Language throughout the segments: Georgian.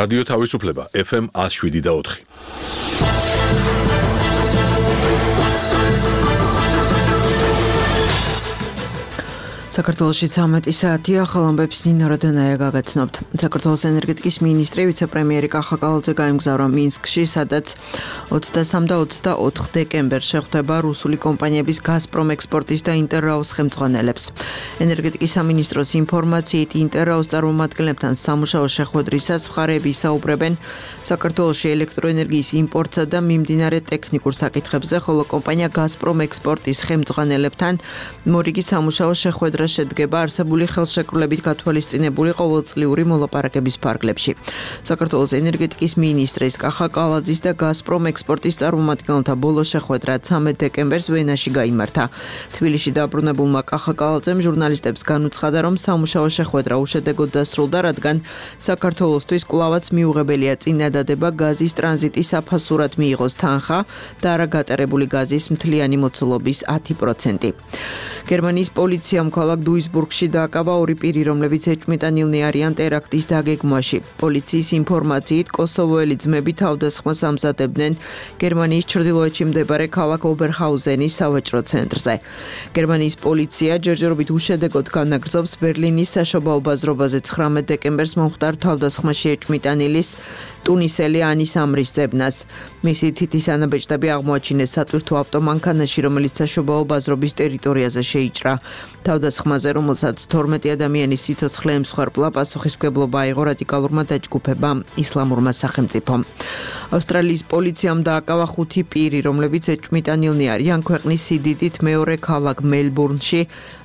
რადიო თავისუფლება FM 107.4. საქართველოში 13 საათია, ახალ ამბებს ნინა როდანაია გაგაცნობთ. საქართველოს ენერგეტიკის მინისტრი ვიცე-პრემიერი კახა კალაძე გაემგზავრა მინსკში, სადაც 23 და 24 დეკემბერს შეხვდება რუსული კომპანიების გაზპრომ ექსპორტის და ინტერრაოს ხელმძღვანელებს. ენერგეტიკის სამინისტროს ინფორმაციით, ინტერრაოს წარმომადგენლებთან სამუშაო შეხვედრისას მხარეები ისაუბრებენ საქართველოში ელექტროენერგიის იმპორტსა და მიმდინარე ტექნიკურ საკითხებზე, ხოლო კომპანია გაზპრომ ექსპორტის ხელმძღვანელებთან მორიგი სამუშაო შეხვედრა შედგება არსებული ხელშეკრულებით გათვალისწინებული ყოველწლიური მოლაპარაკების ფარგლებში. საქართველოს ენერგეტიკის მინისტრის კახა კალაძის და გაზპრომ ექსპორტის წარმომადგენელთა ბოლო შეხვედრა 13 დეკემბერს ვენაში გაიმართა. თბილისში დაბრუნებულმა კახა კალაძემ ჟურნალისტებს განუცხადა, რომ სამუშაო შეხვედრა უშედეგოდ დასრულდა, რადგან საქართველოსთვის კვლავაც მიუღებელია წინადადება გაზის ტრანზიტის საფასურად მიიღოს თანხა და არა გატარებული გაზის მთლიანი მოცულობის 10%. გერმანიის პოლიციამ ქალაქ დუისბურგში დააკავა ორი პირი, რომლებიც ეჭვმიტანილნი არიან ტერაქტის დაგეგმვაში. პოლიციის ინფორმაციით, კოსოვოელი ძმები თავდასხმას ამზადებდნენ გერმანიის ჩრდილოეთში მდებარე ქალაქ ობერჰაუზენის სავაჭრო ცენტრზე. გერმანიის პოლიცია ჯერჯერობით უშედეგოდ განაგრძობს ბერლინის საშობაო ბაზრობაზე 19 დეკემბერს მომხდარ თავდასხმაში ეჭვმიტანილის ტუნისელი ანის ამრის ძებნას. მისი თითის ანაბეჭდები აღმოაჩინეს სატვირთო ავტომანქანაში, რომელიც საშობაო ბაზრობის ტერიტორიაზე შეიჭრა. თავდასხმაზე, რომელსაც 12 ადამიანის სიცოცხლე ემსხვერპლა, პასუხისმგებლობა აიღო რადიკალურმა დაჯგუფებამ ისლამურმა სახელმწიფომ. ავსტრალიის პოლიციამ დააკავა 5 პირი, რომლებიც ეჭვმიტანილნი არიან ქვეყნის სიდიდით მეორე ქალაქ მელბურნში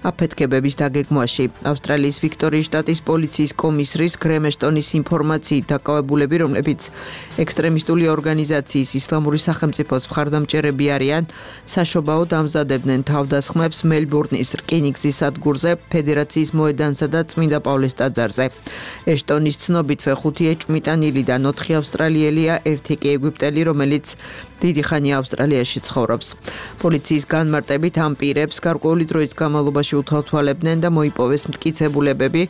აფეთქებების დაგეგმვაში. ავსტრალიის ვიქტორიის შტატის პოლიციის კომისრის გრემეშტონის ინფორმაციით, დაკავებულები, რომლებიც ექსტრემისტული ორგანიზაციის ისლამური სახელმწიფოს მხარდამჭერები არიან, საშობაოდ ამზადებდნენ თავდასხმებს მელბურნის რკინიგზის სადგურზე, ფედერაციის მოედანსა და წმინდა პავლეს ტაძარზე. ეშტონის ცნობითვე 5 ეჭვმიტანილიდან 4 ავსტრალიელია, 1 კი ეგვიპტელი, რომელიც დიდი ხანია ავსტრალიაში ცხოვრობს. პოლიციის განმარტებით ამ პირებს გარკვეული დროის განმავლობაში უთვალთვალებდნენ და მოიპოვეს მტკიცებულებები,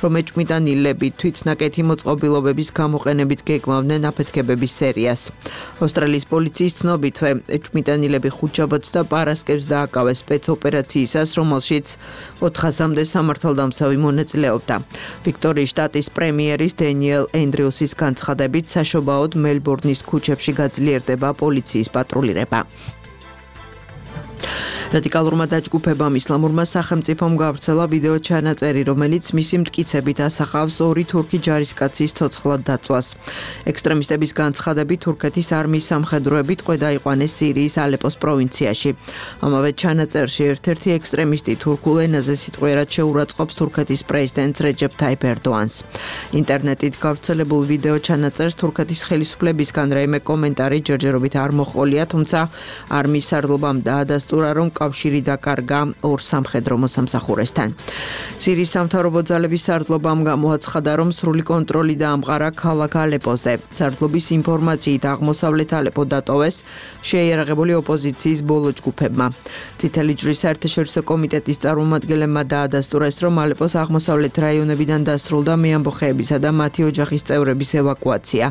რომ ეჭვმიტანილები თვითნაკეთი მოწყობილობების გამოყენებით გეგმავდნენ აფეთქებების სერიას. ავსტრალიის პოლიციის ცნობითვე ეჭვმიტანილები ხუთშაბათს და პარასკევს დააკავეს სპეცოპერაციისას, რომელშიც 400-მდე სამართალდამცავი მონაწილეობდა. ვიქტორიის შტატის პრემიერის დენიელ ენდრიუსის განცხადებით, საშობაოდ მელბურნის ქუჩებში გაძლიერდება პოლიციის პატრულირება. რადიკალურმა დაჯგუფებამ ისლამურმა სახელმწიფომ გავრცელა ვიდეო ჩანაწერი, რომელიც მისი მტკიცებით ასახავს 2 თურქი ჯარისკაცის ცოცხლად დაწვას. ექსტრემისტების განცხადებით, თურქეთის არმიის სამხედროები ტყვე დაიყვანეს სირიის ალეპოს პროვინციაში. ამავე ჩანაწერში ერთ-ერთი ექსტრემისტი თურქულ ენაზე სიტყვიერად შეურაცხყოფს თურქეთის პრეზიდენტს რეჯეფ თაიფ ერდოანს. ინტერნეტით გავრცელებულ ვიდეო ჩანაწერს თურქეთის ხელისუფლებისგან რაიმე კომენტარი ჯერჯერობით არ მოჰყოლია, თუმცა არმიის სარდლობამ დაადასტურა, რომ კავშირი დაკარგა 2 სამხედრო მოსამსახურესთან. სირიის სამთავრობო ძალების სარდლობამ გამოაცხადა, რომ სრული კონტროლი დაამყარა ქალაქ ალეპოზე. სარდლობის ინფორმაციით, აღმოსავლეთ ალეპო დატოვეს შეიარაღებული ოპოზიციის ბოლო ჯგუფებმა. წითელი ჯვრის საერთაშორისო კომიტეტის წარმომადგენლებმა დაადასტურეს, რომ ალეპოს აღმოსავლეთ რაიონებიდან დასრულდა მეამბოხეებისა და მათი ოჯახის წევრების ევაკუაცია.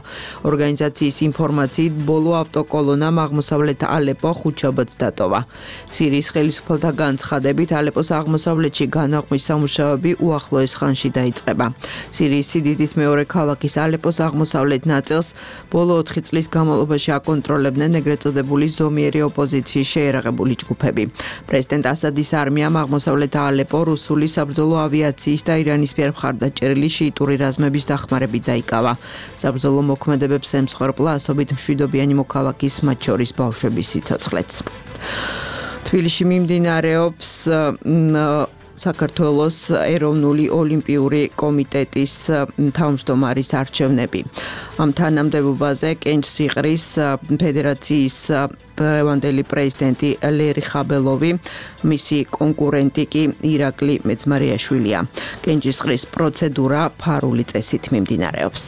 ორგანიზაციის ინფორმაციით, ბოლო ავტოკოლონამ აღმოსავლეთ ალეპო ხუთშაბათს დატოვა. სირიის ხელისუფალთა განცხადებით, ალეპოს აღმოსავლეთში განაყმვის სამუშაოები უახლოეს ხანში დაიწყება. სირიის სიდიდით მეორე ქალაქის ალეპოს აღმოსავლეთ ნაწილს ბოლო 4 წლის განმავლობაში აკონტროლებდნენ ეგრეთ წოდებული ზომიერი ოპოზიციის შეიარაღებული ჯგუფები. პრეზიდენტ ასადის არმიამ აღმოსავლეთ ალეპო რუსული საბრძოლო ავიაციის და ირანის მიერ მხარდაჭერილი შიიტური რაზმების დახმარებით დაიკავა. საბრძოლო მოქმედებებს ემსხვერპლა ასობით მშვიდობიანი მოქალაქის, მათ შორის ბავშვების სიცოცხლეც. თბილისში მიმდინარეობს საქართველოს ეროვნული ოლიმპიური კომიტეტის თავმჯდომარის არჩევნები. ამ თანამდებობაზე კენჭსიყრის ფედერაციის დღევანდელი პრეზიდენტი ლერი ხაბელოვი, მისი კონკურენტი კი ირაკლი მეძმარიაშვილია. კენჭისყრის პროცედურა ფარული წესით მიმდინარეობს.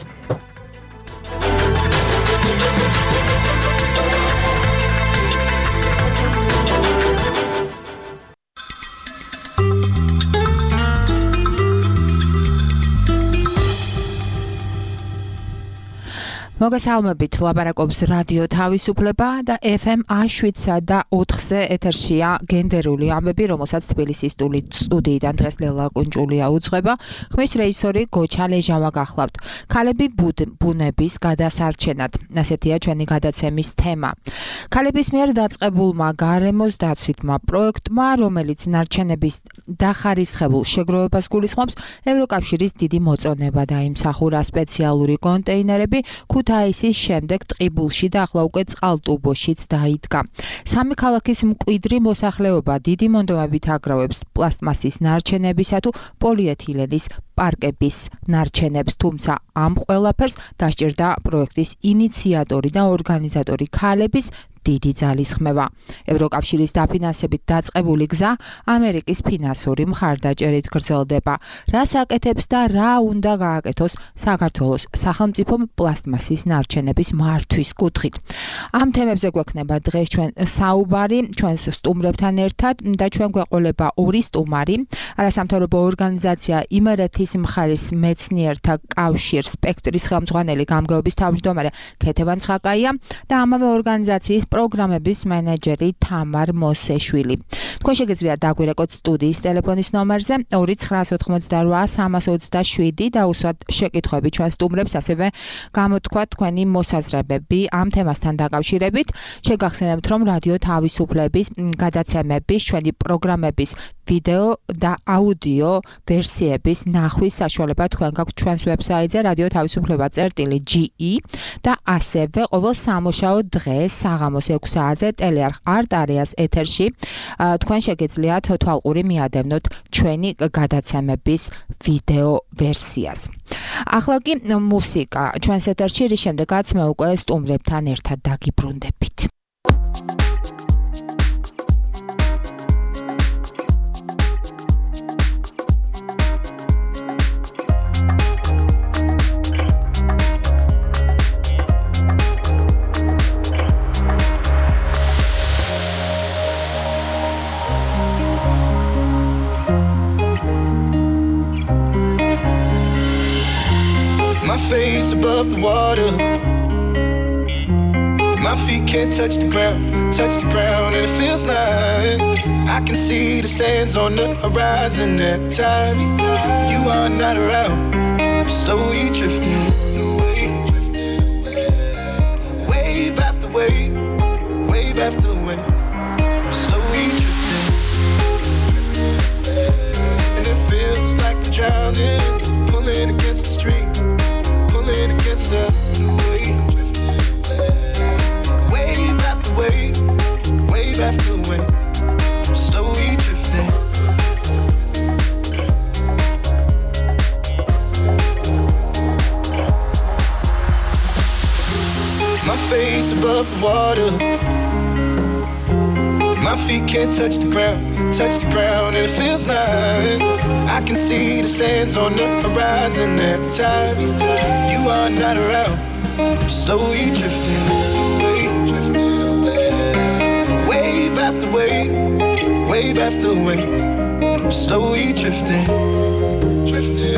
მოგესალმებით, ლაპარაკობს რადიო თავისუფლება და FM 107.4-ზე ეთერშია გენდერული ამბები, რომელსაც თბილისის სტუდიიდან დღეს ლელა კუნჭულია უძღვება. ხმის რეჟისორი გოჩა ლეჟავა გახლავთ. ქალები ბუნების გადასარჩენად. ასეთია ჩვენი გადაცემის თემა. ქალების მიერ დაწყებულმა გარემოს დაცვითმა პროექტმა, რომელიც ნარჩენების დახარისხებულ შეგროვებას გულისხმობს, ევროკავშირის დიდი მოწონება დაიმსახურა სპეციალური კონტეინერები ქუთაისის შემდეგ ტყიბულში და ახლა უკვე წყალტუბოშიც დაიდგა. სამი ქალაქის მკვიდრი მოსახლეობა დიდი მონდომებით აგროვებს პლასტმასის ნარჩენებისა თუ პოლიეთილენის პარკების ნარჩენებს, თუმცა ამ ყველაფერს დასჭირდა პროექტის ინიციატორი და ორგანიზატორი ქალების დიდი ძალისხმევა. ევროკავშირის დაფინანსებით დაწყებული გზა ამერიკის ფინანსური მხარდაჭერით გრძელდება. რას აკეთებს და რა უნდა გააკეთოს საქართველოს სახელმწიფომ პლასტმასის ნარჩენების მართვის კუთხით. ამ თემებზე გვექნება დღეს ჩვენ საუბარი ჩვენს სტუმრებთან ერთად და ჩვენ გვეყოლება ორი სტუმარი, არასამთავრობო ორგანიზაცია იმერეთის მხარის მეცნიერთა კავშირ სპექტრის ხელმძღვანელი გამგეობის თავმჯდომარე ქეთევან ცხაკაია და ამავე ორგანიზაციის პროგრამების მენეჯერი თამარ მოსეშვილი. თქვენ შეგიძლიათ დაგვირეკოთ სტუდიის ტელეფონის ნომერზე 2988327 და უსვათ შეკითხვები ჩვენ სტუმრებს, ასევე გამოთქვათ თქვენი მოსაზრებები ამ თემასთან დაკავშირებით. შეგახსენებთ, რომ რადიო თავისუფლების გადაცემების, ჩვენი პროგრამების ვიდეო და აუდიო ვერსიების ნახვის საშუალება თქვენ გაქვთ ჩვენს ვებსაიტზე radioთავისუფლება.ge და ასევე ყოველ სამუშაო დღეს საღამოს 6 საათზე ტელეარხ არტ-არეას ეთერში თქვენ შეგიძლიათ თვალყური მიადევნოთ ჩვენი გადაცემების ვიდეო ვერსიას. ახლა კი მუსიკა ჩვენს ეთერში, რის შემდეგაც მე უკვე სტუმრებთან ერთად დაგიბრუნდებით. Face above the water, my feet can't touch the ground, and it feels like I can see the sands on the horizon every time you are not around. I'm slowly drifting away, wave after wave, wave after wave. I'm slowly drifting, and it feels like I'm drowning, pulling against the stream. Against the wave, wave after wave, wave after wave, I'm slowly drifting. My face above the water, my feet can't touch the ground, and it feels like I can see the sands on the horizon every time you are not around. I'm slowly drifting away, wave after wave, wave after wave. I'm slowly drifting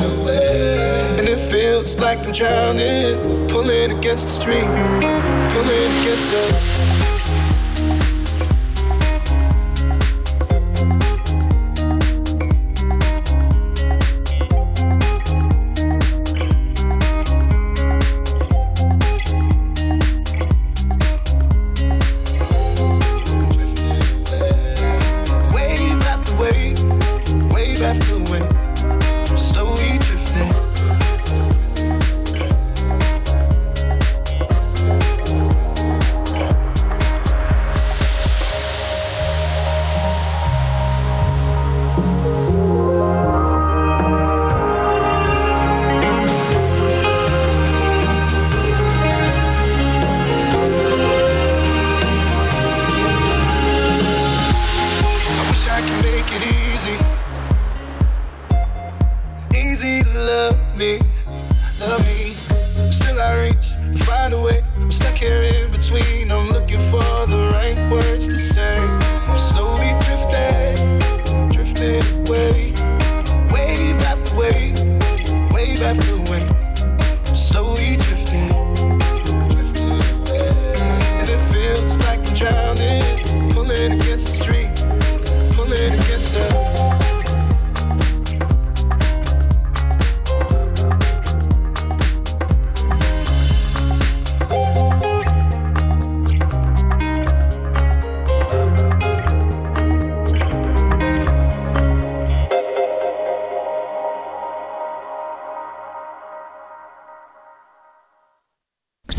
away, and it feels like I'm drowning, pulling against the stream, pulling against the. Slowly drifting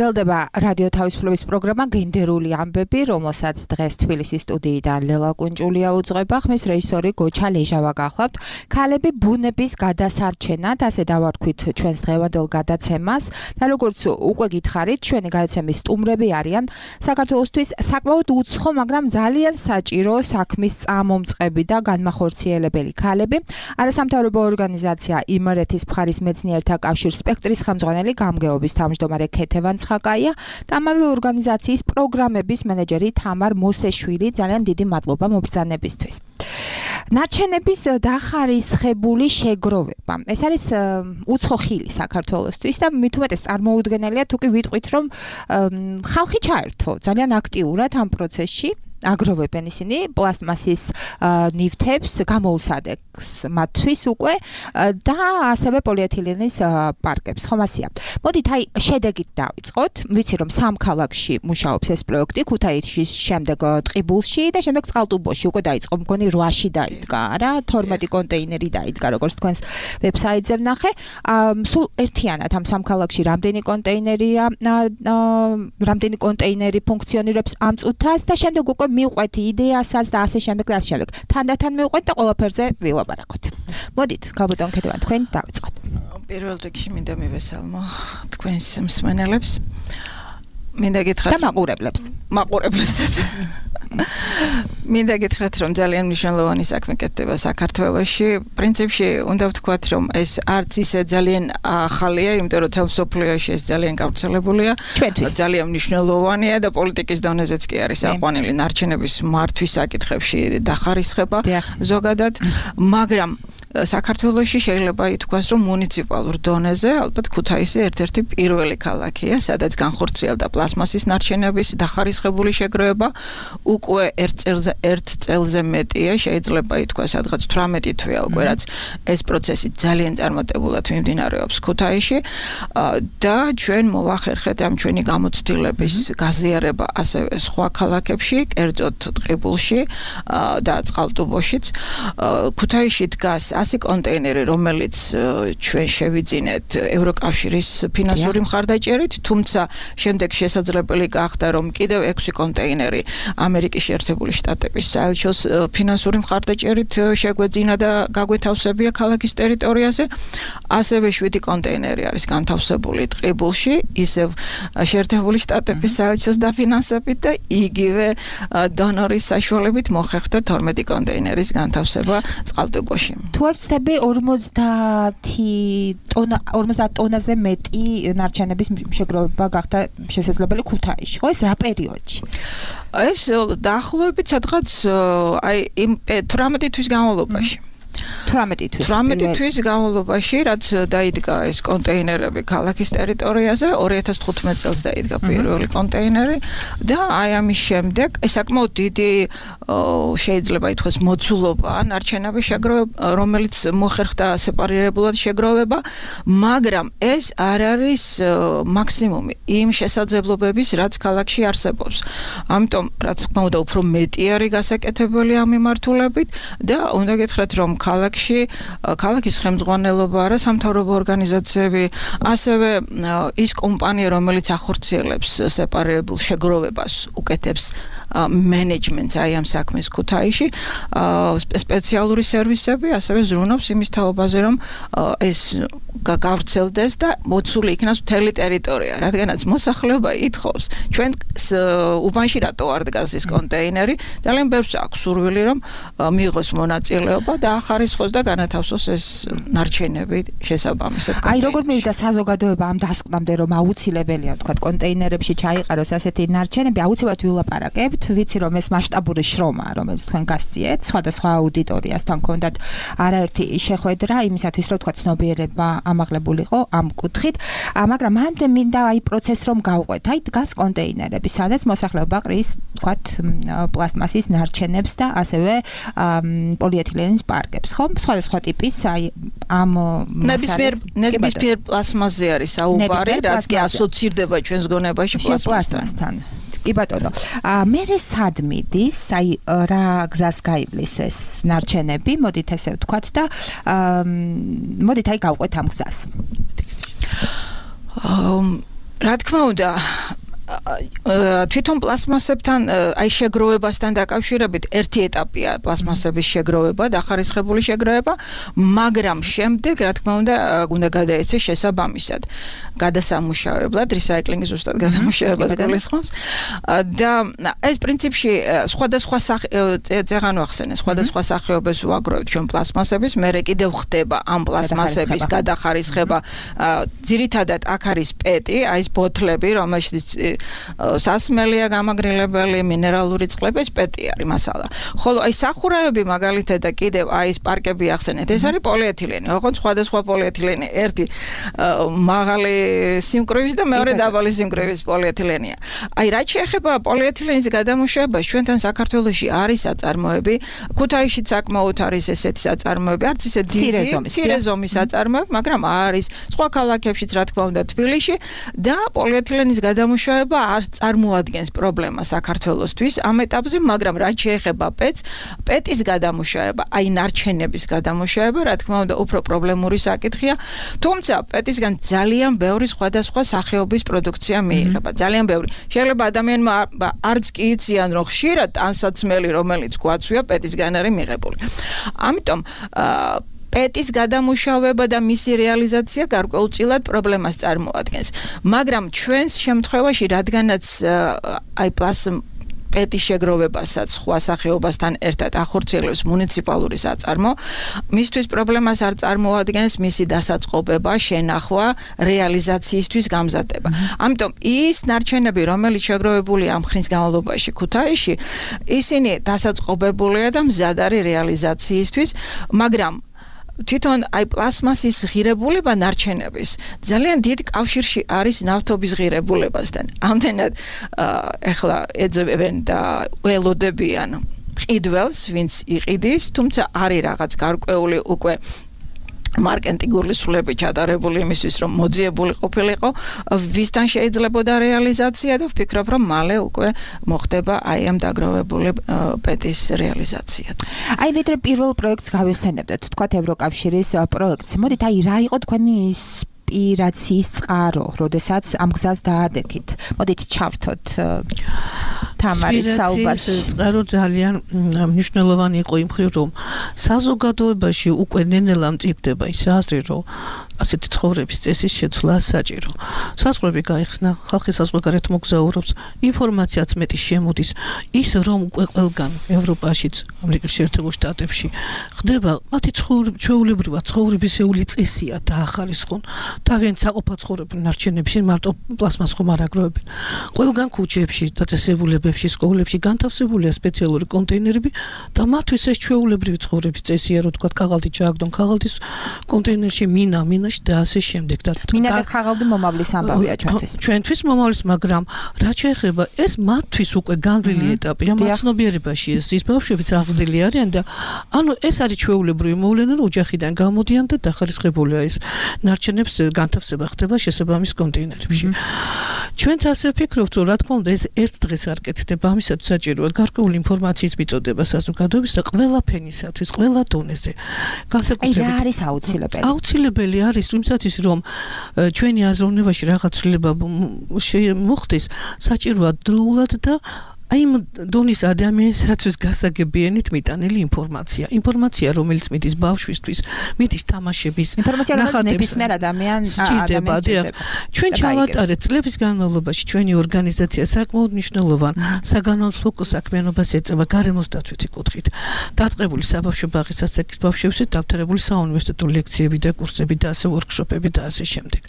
გრძელდება რადიო თავისუფლების პროგრამა გენდერული ამბები, რომელსაც დღეს თბილისის სტუდიიდან ლელა კუნჭულია უძღვება, ხმის რეჟისორი გოჩა ლეჟავა გახლავთ. ქალები ბუნების გადასარჩენად, ასე დავარქვით ჩვენს დღევანდელ გადაცემას და როგორც უკვე გითხარით, ჩვენი გადაცემის სტუმრები არიან საქართველოსთვის საკმაოდ უცხო, მაგრამ ძალიან საჭირო საქმის წამომწყები და განმახორციელებელი ქალები. არასამთავრობო ორგანიზაცია იმერეთის მხარის მეცნიერთა კავშირის სპექტრის ხელმძღვანელი გამგეობის თავმჯდომარე ქეთევან ცხაკაია და ამავე ორგანიზაციის პროგრამების მენეჯერი თამარ მოსეშვილი. ძალიან დიდი მადლობა მობრძანებისთვის. ნარჩენების დახარისხებული შეგროვება. ეს არის უცხო ხილი საქართველოსთვის და მით უმეტეს წარმოუდგენელია თუ კი ვიტყვით, რომ ხალხი ჩაერთო ძალიან აქტიურად ამ პროცესში. აგროვებენ ისინი პლასტმასის ნივთებს, გამოუსადებს მათთვის უკვე და ასევე პოლიეთილენის პარკებს. ხომ ასია. მოდით აი შედეგით დავიწყოთ. ვიცი რომ სამ ქალაქში მუშაობს ეს პროექტი, ქუთაისში, შემდეგ ტყიბულში და შემდეგ წყალტუბოში უკვე დაიწყო. მგონი 8-ში დაიდგა, რა, 12 კონტეინერი დაიდგა, როგორც თქვენს ვებსაიტზე ვნახე. სულ ერთიანად ამ სამ ქალაქში რამდენი კონტეინერი ფუნქციონირებს ამ წუთას და შემდეგ უკვე მივყვეთ იდეასაც და ასე შემდეგ და ასე შემდეგ. თანდათან მივყვეთ და ყველაფერზე ვილაპარაკოთ. მოდით, ქალბატონ ქეთევან, თქვენ დავიწყოთ. პირველ რიგში მინდა მივესალმო თქვენს მსმენელებს. მინდა გითხრათ და მაყურებლებს. მაყურებლებსაც. მინდა გითხრათ, რომ ძალიან მნიშვნელოვანი საქმე კეთდება საქართველოში. პრინციპში უნდა ვთქვათ, რომ ეს არც ისე ძალიან ახალია, იმიტომ რომ თელ მსოფლიოში ეს ძალიან გავრცელებულია. ძალიან მნიშვნელოვანია და პოლიტიკის დონეზეც კი არის აყვანილი ნარჩენების მართვის საკითხებში დახარისხება ზოგადად, მაგრამ საქართველოში შეიძლება ითქვას, რომ მუნიციპალურ დონეზე ალბათ ქუთაისი ერთ-ერთი პირველი ქალაქია, სადაც განხორციელდა პლასმასის ნარჩენების დახარისხებული შეგროვება. უკვე ერთ წელზე მეტია, შეიძლება ითქვას, სადღაც 18 თვეა უკვე, რაც ეს პროცესი ძალიან წარმატებულად მიმდინარეობს ქუთაისში და ჩვენ მოვახერხეთ ამ ჩვენი გამოცდილების გაზიარება ასევე სხვა ქალაქებში, კერძოდ ტყიბულში და წყალტუბოშიც. ქუთაისში დგას 100 კონტეინერი, რომელიც ჩვენ შევიძინეთ ევროკავშირის ფინანსური მხარდაჭერით, თუმცა შემდეგ შესაძლებელი გახდა, რომ კიდევ 6 კონტეინერი ამერიკის შეერთებული შტატების საელჩოს ფინანსური მხარდაჭერით შეგვეძინა და გაგვეთავსებია ქალაქის ტერიტორიაზე. ასევე 7 კონტეინერი არის განთავსებული ტყიბულში, ისევ შეერთებული შტატების საელჩოს დაფინანსებით და იგივე დონორის საშუალებით მოხერხდა 12 კონტეინერის განთავსება წყალტუბოში. თუ არ ვცდები 50 ტონაზე მეტი ნარჩენების შეგროვება გახდა შესაძლებელი ქუთაისში. ხო, ეს რა პერიოდში? ეს დაახლოებით სადღაც აი 18 თვის განმავლობაში. 18 თვის განმავლობაში, რაც დაიდგა ეს კონტეინერები ქალაქის ტერიტორიაზე, 2015 წელს დაიდგა პირველი კონტეინერი და აი ამის შემდეგ ეს საკმაოდ დიდი შეიძლება ითქვას მოცულობა ნარჩენების შეგროვება, რომელიც მოხერხდა სეპარირებულად შეგროვება, მაგრამ ეს არ არის მაქსიმუმი იმ შესაძლებლობების, რაც ქალაქში არსებობს. ამიტომ, რაც თქმა უნდა, უფრო მეტი არის გასაკეთებელი ამ მიმართულებით და უნდა გითხრათ, რომ ქალაქის ხელმძღვანელობა, არასამთავრობო ორგანიზაციები, ასევე ის კომპანია, რომელიც ახორციელებს სეპარირებულ შეგროვებას, უკეთებს მენეჯმენტს აი ამ საქმეს ქუთაისში, სპეციალური სერვისები, ასევე ზრუნავს იმის თაობაზე, რომ ეს გავრცელდეს და მოცული იქნას მთელი ტერიტორია, რადგანაც მოსახლეობა ითხოვს, ჩვენ უბანში რატო არ დგას ეს კონტეინერი, ძალიან ბევრს აქვს სურვილი, რომ მიიღოს მონაწილეობა და ახარისხოს და განათავსოს ეს ნარჩენები შესაბამისად. აი როგორ მივიდა საზოგადოება ამ დასკვნამდე, რომ აუცილებელია თქვა კონტეინერებში ჩაიყაროს ასეთი ნარჩენები, აუცილებლად ვილაპარაკებთ. ვიცი რომ ეს მასშტაბური შრომაა, რომელიც თქვენ გასწიეთ, სხვადასხვა აუდიტორიასთან გქონდათ არაერთი შეხვედრა იმისათვის, რომ თქვა ცნობიერება ამაღლებულიყო ამ კუთხით, მაგრამ მანამდე მინდა აი პროცესს რომ გავყვეთ. აი დგას კონტეინერები, სადაც მოსახლეობა ყრის თქვა პლასტმასის ნარჩენებს და ასევე პოლიეთილენის პარკებს, ხო? სხვადასხვა ტიპის აი ამ ნებისმიერ პლასმასზე არის საუბარი, რაც კი ასოცირდება ჩვენს გონებაში პლასმასთან. კი ბატონო. მე სად მიდის, აი რა გზას გაივლის ეს ნარჩენები, მოდით ესე ვთქვათ და მოდით აი გავყვეთ ამ გზას. რა თქმა უნდა თვითონ პლასმასებთან აი შეგროვებასთან დაკავშირებით ერთი ეტაპია პლასმასების შეგროვება და ხარისხებული შეგროვება, მაგრამ შემდეგ რა თქმა უნდა გადაეცეს შესაბამისად გადასამუშავებლად რისაიკლინგის ზუსტად გადამუშავებას გულისხმობს და ეს პრინციპში სხვადასხვა წეღან ვახსენე სხვადასხვა სახეობებს ვაგროვებთ ჩვენ პლასმასების, მერე კიდევ ხდება ამ პლასმასების გადახარისხება ძირითადად აქ არის პეტი, აი ეს ბოთლები, რომელშიც სასმელია გამაგრილებელი მინერალური წყლების პეტი არის მასალა. ხოლო აი სახურავები მაგალითად და კიდევ აი ეს პარკები ახსენეთ, ეს არის პოლიეთილენი. ოღონდ სხვადასხვა პოლიეთილენი, ერთი მაღალი სიმკვრივის და მეორე დაბალი სიმკვრივის პოლიეთილენია. აი რაც შეეხება პოლიეთილენის გადამუშავებას, ჩვენთან საქართველოში არის აწარმოები, ქუთაისშიც საკმაოდ არის ესეთი აწარმოები, არც ისე დიდი, მცირე ზომის აწარმოები, მაგრამ არის სხვა ქალაქებშიც, რა თქმა უნდა, თბილისში და პოლიეთილენის გადამუშავება არ წარმოადგენს პრობლემას საქართველოსთვის ამ ეტაპზე, მაგრამ რაც შეეხება პეტის გადამუშავება, აი ნარჩენების გადამუშავება, რა თქმა უნდა, უფრო პრობლემური საკითხია, თუმცა პეტისგან ძალიან ბევრი სხვადასხვა სახეობის პროდუქცია მიიღება, ძალიან ბევრი. შეიძლება ადამიანმა არც კი იციან, რომ ხშირად ტანსაცმელი, რომელიც გვაცვია, პეტისგან არის მიღებული. ამიტომ პეტის გადამუშავება და მისი რეალიზაცია გარკვეულწილად პრობლემას წარმოადგენს. მაგრამ ჩვენს შემთხვევაში, რადგანაც აი პეტის შეგროვებასაც სხვა სახეობასთან ერთად ახორციელებს მუნიციპალური საწარმო, მისთვის პრობლემას არ წარმოადგენს მისი დასაწყობება, შენახვა, რეალიზაციისთვის გამზადება. ამიტომ ის ნარჩენები, რომელიც შეგროვებულია ამ ხნის განმავლობაში ქუთაისში, ისინი დასაწყობებულია და მზად არის რეალიზაციისთვის, მაგრამ თვითონ აი პლასმასის ღირებულება ნარჩენების ძალიან დიდ კავშირში არის ნავთობის ღირებულებასთან. ამდენად ეხლა ეძებენ და ველოდებიან ყიდველს, ვინც იყიდის, თუმცა არის რაღაც გარკვეული უკვე მარკეტინგული სრულები ჩატარებული იმისთვის, რომ მოძიებული ყოფილიყო, ვისთან შეიძლებოდა რეალიზაცია და ვფიქრობ, რომ მალე უკვე მოხდება აი ამ დაგროვებული პეტის რეალიზაციაც. აი ვიდრე პირველ პროექტს გავიხსენებდეთ, თქვათ ევროკავშირის პროექტს. მოდით, აი რა იყო თქვენი ინსპირაციის წყარო, როდესაც ამ გზას დაადექით? მოდით ჩავრთოთ თამარით საუბარს. წყარო ძალიან მნიშვნელოვანი იყო იმ მხრივ, რომ საზოგადოებაში უკვე ნენელა მწიფდება ის აზრი, რომ ასეთი ცხოვრების წესის შეცვლა საჭირო. საზღვრები გაიხსნა, ხალხი საზღვარგარეთ მოგზაურობს, ინფორმაციაც მეტი შემოდის, ის რომ უკვე ყველგან ევროპაშიც, ამერიკის შეერთებულ შტატებში ხდება მათი ჩვეულებრივად ცხოვრებისეული წესია დაახარისხონ. თავიანთ საყოფა ცხოვრებენ ნარჩენებში, მარტო პლასმას ხომ არ აგროვებენ. ყველგან ქუჩებში, დაწესებულებებში, სკოლებში განთავსებულია სპეციალური კონტეინერები და მათთვის ეს ჩვეულებრივი ცხოვრების წესია, რომ თქვა ქაღალდი ჩააგდონ ქაღალდის კონტეინერში, მინა და ასე შემდეგ და მინა და ქაღალდი მომავლის ამბავია ჩვენთვის. ჩვენთვის მომავლის, მაგრამ რაც შეეხება ეს მათთვის უკვე განვლილი ეტაპია, მაცნობიერებაში ის ბავშვებიც აღზრდილი არიან და ანუ ეს არის ჩვეულებრივი მოვლენა, რომ ოჯახიდან გამოდიან და დახარისხებულია ეს ნარჩენებს განთავსება ხდება შესაბამის კონტეინერებში. ჩვენც ასე ვფიქრობთ, რომ რა თქმა უნდა ეს ერთ დღეს არ კეთდება, ამისათვის საჭიროა გარკვეული ინფორმაციის მიწოდება საზოგადოების და ყველა ფენისათვის, ყველა დონეზე. განსაკუთრებით რა არის აუცილებელი? აუცილებელი არის იმისათვის, რომ ჩვენი აზროვნებაში რაღაც ცვლილება მოხდეს, საჭიროა დროულად და აი იმ დონის ადამიანისათვის გასაგებიანით მიტანილი ინფორმაცია, რომელიც მიდის ბავშვისთვის, მიდის თამაშების, ინფორმაცია, რომელიც ნებისმიერ ადამიანს ჩვენ ჩავატარეთ წლების განმავლობაში ჩვენი ორგანიზაცია საკმაოდ მნიშვნელოვან საგანმანათლებლო საქმიანობას ეწევა გარემოს დაცვითი კუთხით. დაწყებული საბავშვო ბაღის ასაკის ბავშვებისთვის დავთარებული საუნივერსიტეტო ლექციები და კურსები და ასე ვორქშოპები და ასე შემდეგ.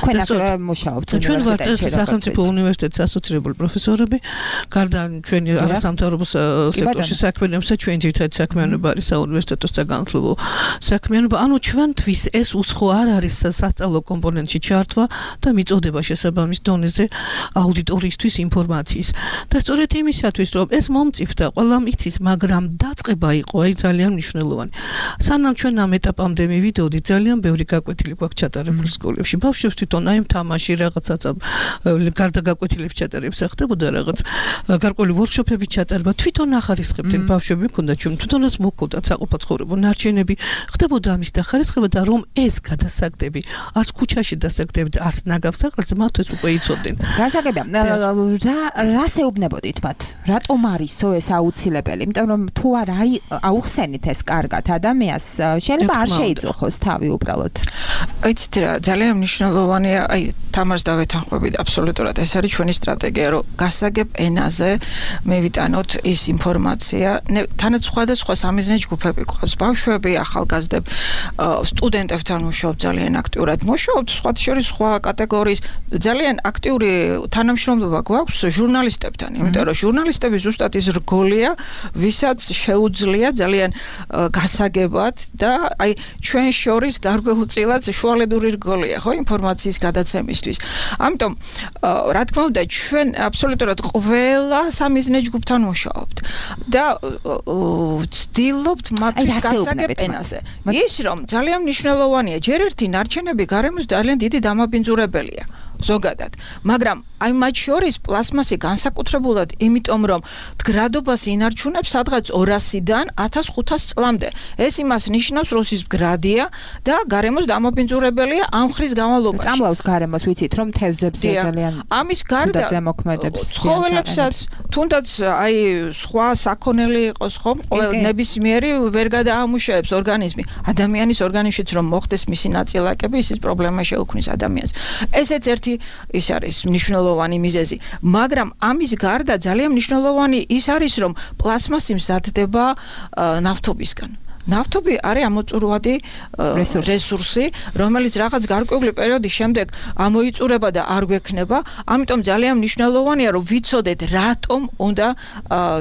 თქვენ ასევე მუშაობთ ჩვენ ვართ სახელმწიფო უნივერსიტეტის ასოცირებული პროფესორები, გარდა ჩვენი არასამთავრობო სექტორში საქმიანობისა, ჩვენი ძირითადი საქმიანობა არის საუნივერსიტეტო საგანმანათლებლო საქმიანობა. ანუ ჩვენთვის ეს უცხო არ არის სასწავლო კომპონენტში ჩართვა და მიწოდება შესაბამის დონეზე აუდიტორიისთვის ინფორმაციის. და სწორედ იმისათვის, რომ ეს მომწიფდა, ყველამ იცის, მაგრამ დაწყება იყო აი ძალიან მნიშვნელოვანი. სანამ ჩვენ ამ ეტაპამდე მივიდოდით, ძალიან ბევრი გაკვეთილი გვაქვს ჩატარებული სკოლებში. ბავშვებს თვითონ აი თამაში რაღაცა გარდა გაკვეთილებს ჩატარებს ხდებოდა რაღაც გარკვეული ვორქშოპების ჩატარება თვითონ ახარისხებდნენ ბავშვები მქონდა ჩვენ თვითონაც მოქონდათ საყოფა ცხოვრება ნარჩენები ხდებოდა ამის დახარისხება და რომ ეს გადასაგდები არც ქუჩაში დასაგდები და არც ნაგავსაღალზე მათ ეს უკვე იცოდნენ გასაგებია რას ეუბნებოდით მათ რატომ არისო ეს აუცილებელი იმიტომ რომ თუ არ აუხსენით ეს კარგად ადამიანს შეიძლება არ შეიძახოს თავი უბრალოდ იცით რა ძალიან მნიშვნელოვანია აი თამარს დავეთანხმებით აბსოლუტურად ეს არის ჩვენი სტრატეგია რომ გასაგებ ენაზე მევიტანოთ ის ინფორმაცია თანაც სხვადასხვა სამიზნე ჯგუფები გვყავს ბავშვები ახალგაზრდები სტუდენტებთან მუშაობ ძალიან აქტიურად მუშაობთ სხვა შორის სხვა კატეგორიის ძალიან აქტიური თანამშრომლობა გვაქვს ჟურნალისტებთან იმიტომ რომ ჟურნალისტები ზუსტად ის რგოლია ვისაც შეუძლია ძალიან გასაგებად და აი ჩვენ შორის გარკვეულწილად შუალედური რგოლია ხო ინფორმაციის გადაცემისთვის ამიტომ რა თქმა უნდა ჩვენ აბსოლუტურად ყველა სამიზნე ჯგუფთან მუშაობთ და ვცდილობთ მათთვის გასაგებ ენაზე ის რომ ძალიან მნიშვნელოვანია ჯერ ერთი ნარჩენები გარემოს ძალიან დიდი დამაბინძურებელია ზოგადად მაგრამ აი მათ შორის პლასმასი განსაკუთრებულად იმიტომ რომ მდგრადობას ინარჩუნებს სადღაც 200-დან 1500 წლამდე ეს იმას ნიშნავს რომ ის მდგრადია და გარემოს დამაბინძურებელია ამ ხრის განმავლობაში წამლავს გარემოს ვიცით რომ თევზებზე ძალიან ამის გარდა ზემოქმედებს ცხოველებსაც თუნდაც აი სხვა საქონელი იყოს ხო ნებისმიერი ვერ გადაამუშავებს ორგანიზმი ადამიანის ორგანიზმშიც რომ მოხდეს მისი ნაწილაკები ისიც პრობლემა შეუქმნის ადამიანს ესეც ერთი ის არის მნიშვნელოვანი მიზეზი მაგრამ ამის გარდა ძალიან მნიშვნელოვანი ის არის რომ პლასმასი მზადდება ნავთობისგან ნავთობი არის ამოწურვადი რესურსი, რომელიც რაღაც გარკვეული პერიოდის შემდეგ ამოიწურება და არ გვექნება, ამიტომ ძალიან მნიშვნელოვანია რომ ვიცოდეთ რატომ უნდა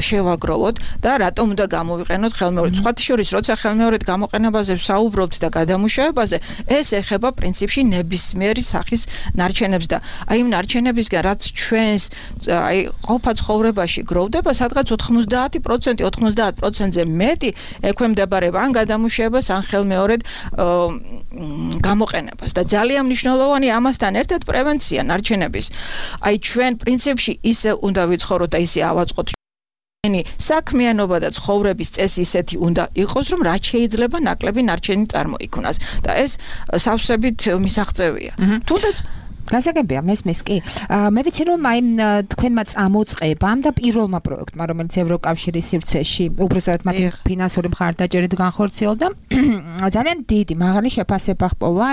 შევაგროვოთ და რატომ უნდა გამოვიყენოთ ხელმეორედ. სხვათა შორის, როცა ხელმეორედ გამოყენებაზე ვსაუბრობთ და გადამუშავებაზე, ეს ეხება პრინციპში ნებისმიერი სახის ნარჩენებს და აი იმ ნარჩენებისგან რაც ჩვენს აი ყოფა ცხოვრებაში გროვდება, სადღაც 90%, 90%-ზე მეტი ექვემდებარება ან გადამუშავებას ან ხელმეორედ გამოყენებას და ძალიან მნიშვნელოვანი ამასთან ერთად პრევენცია ნარჩენების. აი ჩვენ პრინციპში ისე უნდა ვიცხოვროთ და ისე ავაწყოთ საქმიანობა და ცხოვრების წესი ისეთი უნდა იყოს, რომ რაც შეიძლება ნაკლები ნარჩენი წარმოიქმნას და ეს სავსებით მისაღწევია. თუნდაც გასაგებია მესმის კი. მე ვიცი რომ აი თქვენმა წამოწყებამ და პირველმა პროექტმა, რომელიც ევროკავშირის სივრცეში უბრალოდ მათი ფინანსური მხარდაჭერით განხორციელდა, ძალიან დიდი მაღალი შეფასება ჰპოვა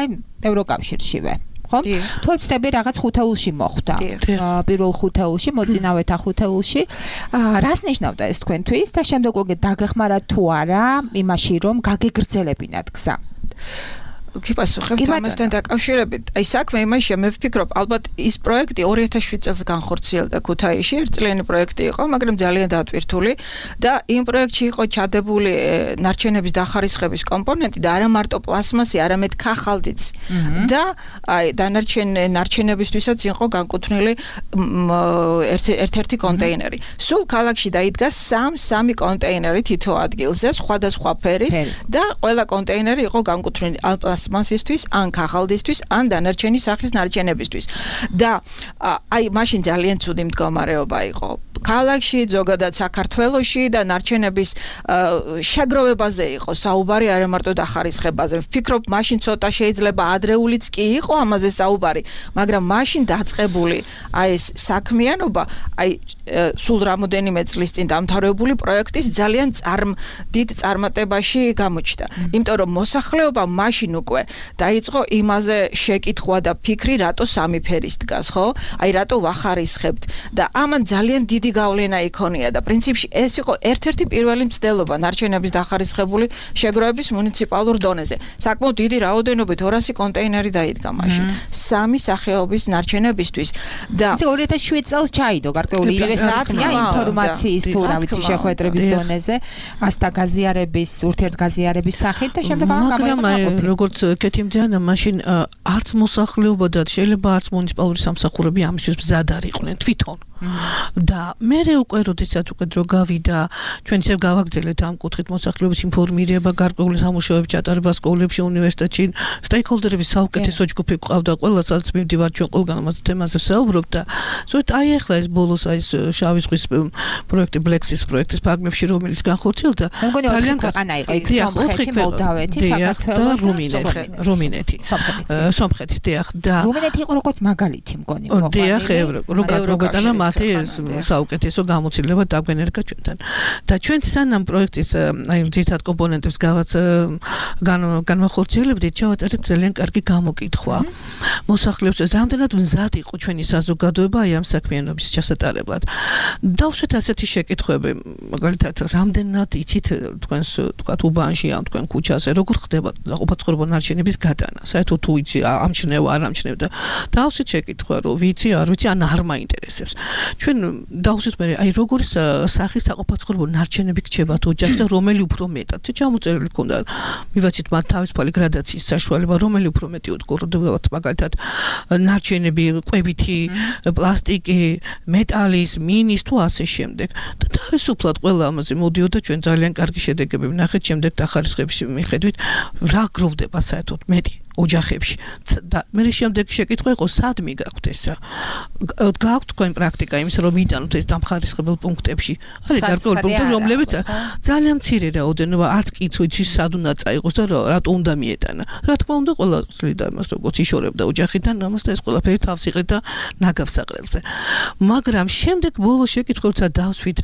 ევროკავშირშივე. ხო? თუ ვცდები რაღაც ხუთეულში მოხვდა. პირველ ხუთეულში, მოწინავეთა ხუთეულში. რას ნიშნავდა ეს თქვენთვის და შემდეგ უკვე დაგეხმარათ თუ არა იმაში რომ გაგეგრძელებინათ გზა? გიპასუხებ ამასთან დაკავშირებით. აი საქმე იმაშია, მე ვფიქრობ, ალბათ ის პროექტი 2007 წელს განხორციელდა ქუთაისში, ერთწლიანი პროექტი იყო, მაგრამ ძალიან დატვირთული და იმ პროექტში იყო ჩადებული ნარჩენების დახარისხების კომპონენტი და არა მარტო პლასმასი, არამედ ქაღალდიც. და აი ნარჩენებისთვისაც იყო განკუთვნილი ერთ-ერთი კონტეინერი. სულ ქალაქში დაიდგა 3 კონტეინერი თითო ადგილზე, სხვადასხვა ფერის და ყველა კონტეინერი იყო განკუთვნილი პლასმასისთვის, ან ქაღალდისთვის, ან დანარჩენი სახის ნარჩენებისთვის. და აი მაშინ ძალიან ცუდი მდგომარეობა იყო. ქალაქში, ზოგადად საქართველოში და ნარჩენების შეგროვებაზე იყო საუბარი, არა მარტო დახარისხებაზე. ვფიქრობ, მაშინ ცოტა შეიძლება ადრეულიც კი იყო ამაზე საუბარი, მაგრამ მაშინ დაწყებული აი ეს საქმიანობა, აი სულ რამოდენიმე წლის წინ დამთავრებული პროექტის ძალიან დიდ წარმატებაში გამოჩნდა. იმიტომ რომ მოსახლეობა მაშინ უკვე დაიწყო იმაზე შეკითხვა და ფიქრი, რატო 3 ფერის დგას, ხო? აი რატო ვახარისხებთ და ამან ძალიან დიდი გავლენა იქონია და პრინციპში ეს იყო ერთ-ერთი პირველი მცდელობა ნარჩენების დახარისხებული შეგროვების მუნიციპალურ დონეზე. საკმაოდ დიდი რაოდენობით 200 კონტეინერი დაიდგა მაშინ 3 სახეობის ნარჩენებისთვის და 2007 წელს ჩაიდო გარკვეული ინვესტიცია ინფორმაციის თუ რა ვიცი შეხვედრების დონეზე, ასთა გაზიარების, ურთიერთგაზიარების სახით და შემდეგ მაგრამ როგორც კეთიმძიანა მაშინ არც მოსახლეობა და შეიძლება არც მუნიციპალური სამსახურები ამისთვის მზად არ იყვნენ თვითონ. და მე უკვე როდესაც უკვე დრო გავიდა ჩვენ ისევ გავაგრძელეთ ამ კუთხით მოსახლეობის ინფორმირება, გარკვეული სამუშაოების ჩატარება სკოლებში, უნივერსიტეტში, სტეიკჰოლდერების საუკეთესო ჯგუფი ყავდა, ყველასაც მივდივარ ჩვენ ყველგან ამაზე თემაზე ვსაუბრობ და ზოგადად აი ახლა ეს ბოლოს აი ეს შავი ზღვის პროექტი Black-ის პროექტის ფარგლებში რომელიც განხორციელდა ძალიან ქვეყანა იყო იქ სომხეთი, მოლდავეთი, საქართველოს და რუმინეთი. სომხეთი დიახ და რუმინეთი იყო როგორც მაგალითი მგონი დიახ როგორ მათი საუკეთესო გამოცდილება დაგვენერგა ჩვენთან და ჩვენ სანამ პროექტის აი ძირითად კომპონენტებს განვახორციელებდით ჩავატარეთ ძალიან კარგი გამოკითხვა მოსახლეებს რამდენად მზად იყო ჩვენი საზოგადოება აი ამ საქმიანობის ჩასატარებლად დავსვეთ ასეთი შეკითხვები მაგალითად რამდენად იცით თქვენს თქვათ უბანში ან თქვენ ქუჩაზე როგორ ხდება ყოფაცხოვრებო ნარჩენების გატანა საერთოდ თუ იცი ამჩნევა არ ამჩნევ და დავსვით შეკითხვა რომ ვიცი არ ვიცი ან არ მაინტერესებს ჩვენ დავსვით მე აი როგორი სახის საყოფაცხოვრებო ნარჩენები გრჩებათ ოჯახში და რომელი უფრო მეტად ჩამოწერილი ქონდა მივაცით მათ თავისუფალი გრადაციის საშუალება რომელი უფრო მეტი უდგურდებათ მაგალითად ნარჩენები კვებითი პლასტიკი მეტალის მინის თუ ასე შემდეგ და თავისუფლად ყველა ამაზე მოდიოდა ჩვენ ძალიან კარგი შედეგები ვნახეთ შემდეგ დახარისხების მიხედვით რა გროვდება საერთოდ მეტი ოჯახებში და მე შემდეგ შეკითხვა იყო სად მიგაქვთ ესა გაქვთ თქვენ პრაქტიკა იმის რომ იტანოთ ეს დამხარისხებელ პუნქტებში არის გარკვეული პუნქტი რომლებიც ძალიან მცირე რაოდენობა არც კი იცი სად უნდა წაიღოს და რატო უნდა მიეტანა რა თქმა უნდა ყველა წლიდა იმას როგორც იშორებდა ოჯახიდან ამას და ეს ყველაფერი თავს იყრეთ და ნაგავსაყრელზე მაგრამ შემდეგ ბოლოს შეკითხვებსაც დავსვით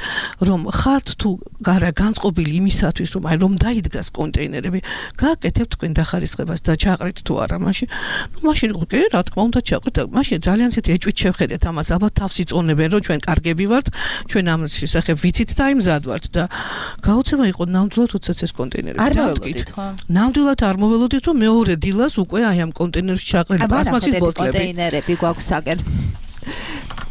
რომ ხართ თუ არა განწყობილი იმისათვის რომ აი რომ დაიდგას კონტეინერები გააკეთებთ თქვენ დახარისხებას და ჩაყრით თუ არა მაშინ უკვე რა თქმა უნდა ჩაყრით და მაშინ ძალიან ისეთი ეჭვით შევხედეთ ამას ალბათ თავს იწონებენ რომ ჩვენ კარგები ვართ ჩვენ ამის შესახებ ვიცით და აი მზად ვართ და გაუცემა იყო ნამდვილად როდესაც ეს კონტეინერები დავდგით ნამდვილად არ მოველოდით რომ მეორე დილას უკვე აი ამ კონტეინერში ჩაყრილი პლასმასის ბოთლები კონტეინერები გვაქვს საგერ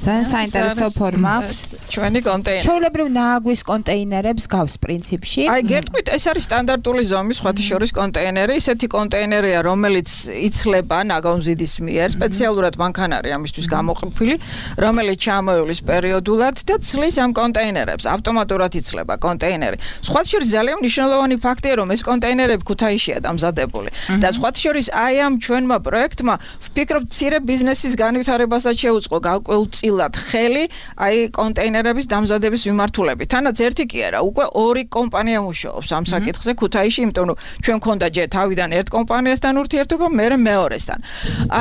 ძალიან საინტერესო ფორმა აქვს ჩვენი კონტეინერი. ჩვეულებრივ ნააგვის კონტეინერებს გავს პრინციპში. აი გეტყვით ეს არის სტანდარტული ზომის სხვათა შორის კონტეინერი, ისეთი კონტეინერია, რომელიც იცლება ნაგავმზიდის მიერ, სპეციალურად მანქანა არის ამისთვის გამოყოფილი, რომელიც ჩამოივლის პერიოდულად და ცლის ამ კონტეინერებს, ავტომატურად იცლება კონტეინერი. სხვათა შორის ძალიან მნიშვნელოვანი ფაქტია, რომ ეს კონტეინერები ქუთაისშია დამზადებული და სხვათა შორის აი ამ ჩვენმა პროექტმა ვფიქრობ მცირე ბიზნესის განვითარებასაც შეუწყო გაკვეულწილად ხელი აი კონტეინერების დამზადების მიმართულებით. თანაც ერთი კი არა, უკვე ორი კომპანია მუშაობს ამ საკითხზე ქუთაისში, იმიტომ რომ ჩვენ ქონდა ჯერ თავიდან ერთ კომპანიასთან ურთიერთობა, მერე მეორესთან.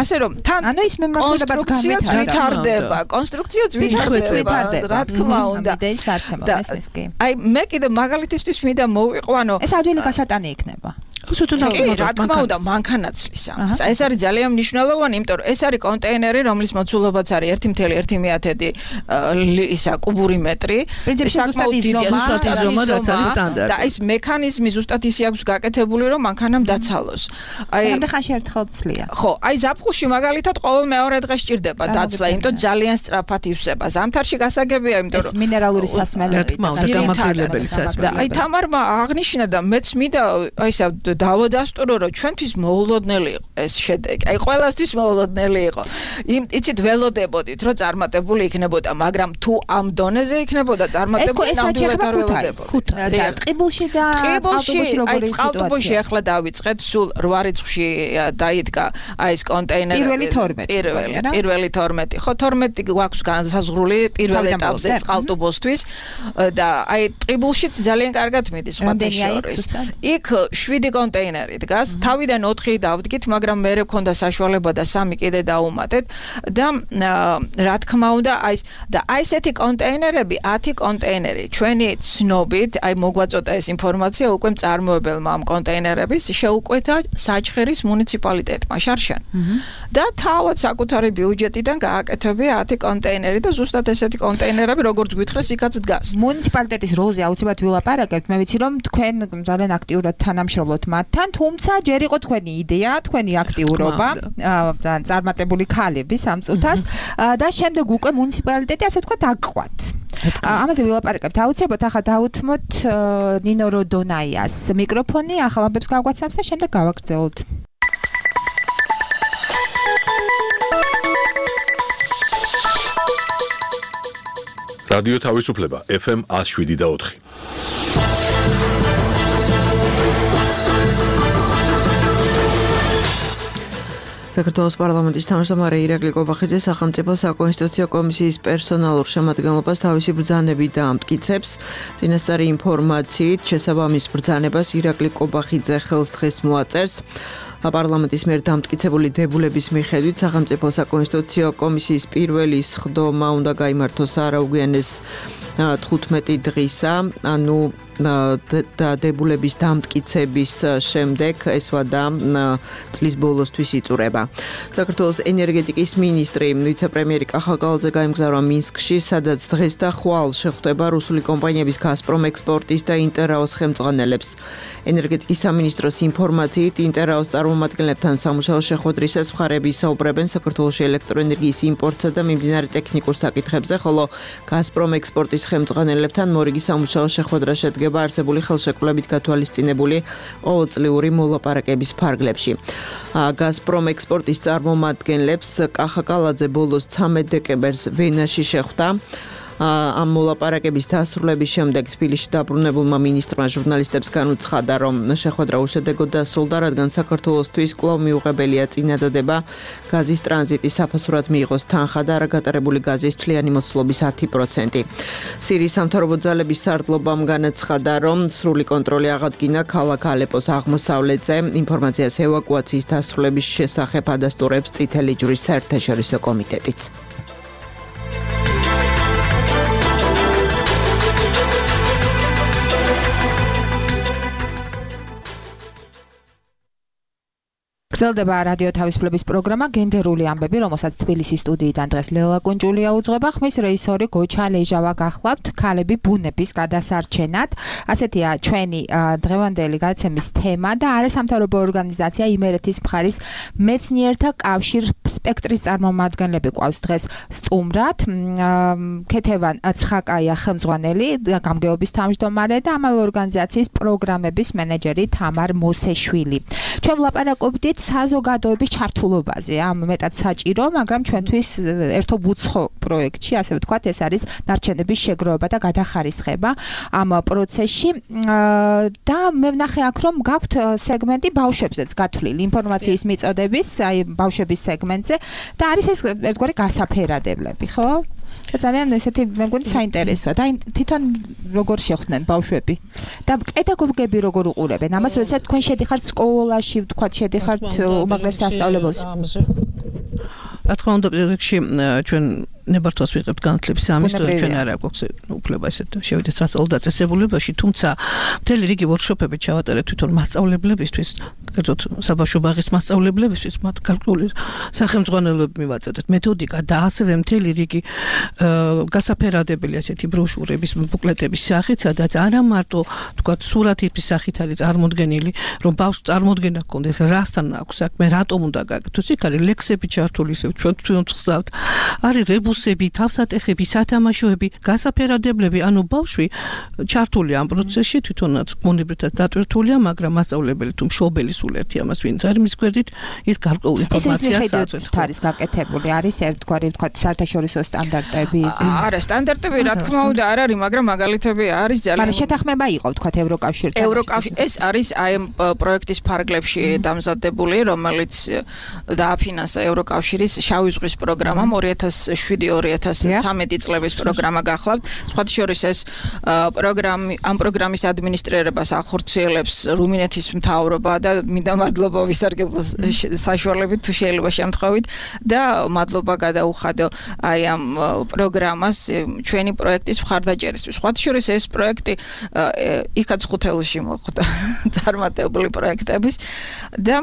ასე რომ თან ანუ ის მიმართულებაც ვითარდება, კონსტრუქციაც ვითარდება, რა თქმა უნდა. აი მე კიდე მაგალითისთვის მინდა მოვიყვანო. ეს ადვილი გასატანი იქნება. რა თქმა უნდა მანქანაცლის ამას. ეს არის ძალიან მნიშვნელოვანი, იმიტომ რომ ეს არის კონტეინერი, რომლის მოცულობაც არის 1.1 ისა კუბური მეტრი. საკმაოდ დიდი ზომა რაც არის სტანდარტი. და ეს მექანიზმი ზუსტად ისე აქვს გაკეთებული, რომ მანქანამ დაცალოს. აი ხანში ერთხელ ცლია. ხო, აი ზაფხულში მაგალითად ყოველ მეორე დღეს ჭირდება დაცლა, იმიტომ ძალიან სწრაფად ივსება. ზამთარში გასაგებია, იმიტომ რომ ეს მინერალური სასმელები და გამაგრილებელი სასმელები. აი თამარმა აღნიშნა და მეც მინდა აი ესა დავადასტურო, რომ ჩვენთვის მოულოდნელი იყო ეს შედეგი. აი ყველასთვის მოულოდნელი იყო. იცით ველოდებოდით, რომ წარმატებული იქნებოდა, მაგრამ თუ ამ დონეზე იქნებოდა წარმატებული ნამდვილად არ ველოდებოდა. ტყიბულში და წყალტუბოში აი როგორი სიტუაცია? წყალტუბოში ახლა დავიწყეთ, სულ 8 რიცხვში დაიდგა აი ეს კონტეინერი. პირველი 12. ხო 12 გვაქვს განსაზღვრული პირველ ეტაპზე წყალტუბოსთვის და აი ტყიბულშიც ძალიან კარგად მიდის სხვათა შორის. იქ 7 კონტეინერი დგას, თავიდან 4 დავდგით, მაგრამ მე მქონდა საშუალება და 3 კიდე დაუმატეთ და რა თქმა უნდა აი ესეთი კონტეინერები, 10 კონტეინერი ჩვენი ცნობით, აი მოგვაწოდა ეს ინფორმაცია უკვე მწარმოებელმა ამ კონტეინერების შეუკვეთა საჩხერის მუნიციპალიტეტმა შარშან. და თავად საკუთარი ბიუჯეტიდან გააკეთებია 10 კონტეინერი და ზუსტად ესეთი კონტეინერები როგორც გვითხრეს იქაც დგას. მუნიციპალიტეტის როლზე აუცილებლად ვილაპარაკებთ, მე ვიცი რომ თქვენ ძალიან აქტიურად თანამშრომლობთ მათთან, თუმცა ჯერ იყო თქვენი იდეა, თქვენი აქტიურობა და წარმატებული ქალები სამწუთას და შემდეგ უკვე მუნიციპალიტეტი ასე ვთქვათ აგყვათ. ამაზე ვილაპარაკებთ აუცილებლად, ახლა დავუთმოთ ნინო როდონაიას მიკროფონი, ახალ ამბებს გავგვაცნობს და შემდეგ გავაგრძელოთ. რადიო თავისუფლება FM 107.4. საქართველოს პარლამენტის თავმჯდომარე ირაკლი კობახიძე სახელმწიფო საკონსტიტუციო კომისიის პერსონალურ შემადგენლობას თავისი ბრძანებით დაამტკიცებს. წინასწარი ინფორმაციით, შესაბამის ბრძანებას ირაკლი კობახიძე ხელს დღეს მოაწერს. პარლამენტის მიერ დამტკიცებული დებულების მიხედვით სახელმწიფო საკონსტიტუციო კომისიის პირველი სხდომა უნდა გაიმართოს არაუგვიანეს 15 დღისა, ანუ დებულების დამტკიცების შემდეგ ეს ვადა წლის ბოლოსთვის იწურება. საქართველოს ენერგეტიკის მინისტრი ვიცე-პრემიერი კახაკალაძე გაემგზავრა მინსკში, სადაც დღეს და ხვალ შეხვდება რუსული კომპანიების გაზპრომ ექსპორტის და ინტერაოს ხელმძღვანელებს. ენერგეტიკის სამინისტროს ინფორმაციით, ინტერაოს წარმომადგენლებთან სამუშაო შეხვედრისას მხარეები ისაუბრებენ საქართველოში ელექტროენერგიის იმპორტსა და მიმდინარე ტექნიკურ საკითხებზე, ხოლო გაზპრომ ექსპორტის ხელმძღვანელებთან მორიგი სამუშაო შეხვედრა შედგება არსებული ხელშეკრულებით გათვალისწინებული ყოველწლიური მოლაპარაკების ფარგლებში. გაზპრომ ექსპორტის წარმომადგენლებს კახაკალაძე ბოლოს 13 დეკემბერს ვენაში შეხვდა. ამ მოლაპარაკების დასრულების შემდეგ თბილისში დაბრუნებულმა მინისტრმა ჟურნალისტებს განუცხადა, რომ შეხვედრა უშედეგოდ დასრულდა, რადგან საქართველოსთვის კვლავ მიუღებელია წინადადება გაზის ტრანზიტის საფასურად მიიღოს თანხა და არაგატარებული გაზის თვლიანი მოცულობის 10%. სირიის სამთავრობო ძალების სარდლობამ განაცხადა, რომ სრული კონტროლი აღადგინა ქალაქ ალეპოს აღმოსავლეთზე. ინფორმაციას ევაკუაციის დასრულების შესახებ ადასტურებს წითელი ჯვრის საერთაშორისო კომიტეტიც. გრძელდება რადიო თავისუფლების პროგრამა გენდერული ამბები, რომელსაც თბილისის სტუდიიდან დღეს ლელა კუნჭულია უძღვება. ხმის რეჟისორი გოჩა ლეჟავა გახლავთ ქალები ბუნების გადასარჩენად. ასეთია ჩვენი დღევანდელი გადაცემის თემა და არასამთავრობო ორგანიზაცია იმერეთის მხარის მეცნიერთა კავშირ სპექტრის წარმომადგენლები ყავს დღეს სტუმრად. ქეთევან ცხაკაია ხელმძღვანელი, გამგეობის თავმჯდომარე და ამავე ორგანიზაციის პროგრამების მენეჯერი თამარ მოსეშვილი. ჩვენ ვლაპარაკობდით საზოგადოების ჩართულობაზე, ამ მეტად საჭირო, მაგრამ ჩვენთვის ერთობ უცხო პროექტში, ასე ვთქვათ, ეს არის ნარჩენების შეგროვება და გადახარისხება ამ პროცესში და მე ვნახე აქ, რომ გაქვთ სეგმენტი ბავშვებზეც გათვლილი ინფორმაციის მიწოდების, აი ბავშვების სეგმენტზე და არის ეს ერთგვარი გასაფერადებლები, ხო? და ძალიან ესეთი მე მგონი საინტერესოა და თვითონ როგორ შეხვდნენ ბავშვები და პედაგოგები როგორ უყურებენ ამას, როდესაც თქვენ შედიხართ სკოლაში, ვთქვათ, შედიხართ უმაღლეს სასწავლებელში. რა თქმა უნდა, პროექტში ჩვენ ნებართვას ვიღებთ განათლების სამინისტროს, ჩვენ არ აქვს უფლება ესეთ შევიდეთ სასწავლო დაწესებულებაში, თუმცა მთელი რიგი ვორქშოპები ჩავატარეთ თვითონ მასწავლებლებისთვის, კერძოდ საბავშვო ბაღის მასწავლებლებისთვის, მათ გარკვეული სახელმძღვანელოები მივაწოდეთ, მეთოდიკა და ასევე მთელი რიგი გასაფერადებელი ასეთი ბროშურების, ბუკლეტების სახით, სადაც არა მარტო თქვათ სურათების სახით არის წარმოდგენილი, რომ ბავშვს წარმოდგენა ჰქონდეს, რასთან აქვს საქმე, რატომ უნდა გაკეთოს, იქ არის ლექსები ჩართული, ისე ჩვენ ვხსავთ, არის რებუსები, თავსატეხები, სათამაშოები, გასაფერადებლები, ანუ ბავშვი ჩართული ამ პროცესში, თვითონაც მონიბრეთად დატვირთულია, მაგრამ მასწავლებელი თუ მშობელი სულ ერთი ამას ვინც არის მის გვერდით, ის გარკვეული ინფორმაციას აწვევს. არის გაკეთებული, არის ერთგვარი, ვთქვათ, საერთაშორისო სტანდარტები. არა, სტანდარტები რა თქმა უნდა არ არის, მაგრამ მაგალითები არის ძალიან. მაგრამ შეთანხმება იყო, ვთქვათ, ევროკავშირთან. ეს არის აი ამ პროექტის ფარგლებში დამზადებული, რომელიც დააფინანსა ევროკავშირის შავი ზღვის პროგრამამ 2007-2013 წლების პროგრამა გახლავთ. სხვათა შორის ეს ამ პროგრამის ადმინისტრირებას ახორციელებს რუმინეთის მთავრობა და მინდა მადლობა ვისარგებლო საშუალებით თუ შეიძლება შემთხვევით და მადლობა გადაუხადო აი ამ პროგრამას ჩვენი პროექტის მხარდაჭერისთვის. სხვათა შორის ეს პროექტი იქაც ხუთეულში მოხვდა წარმატებული პროექტების და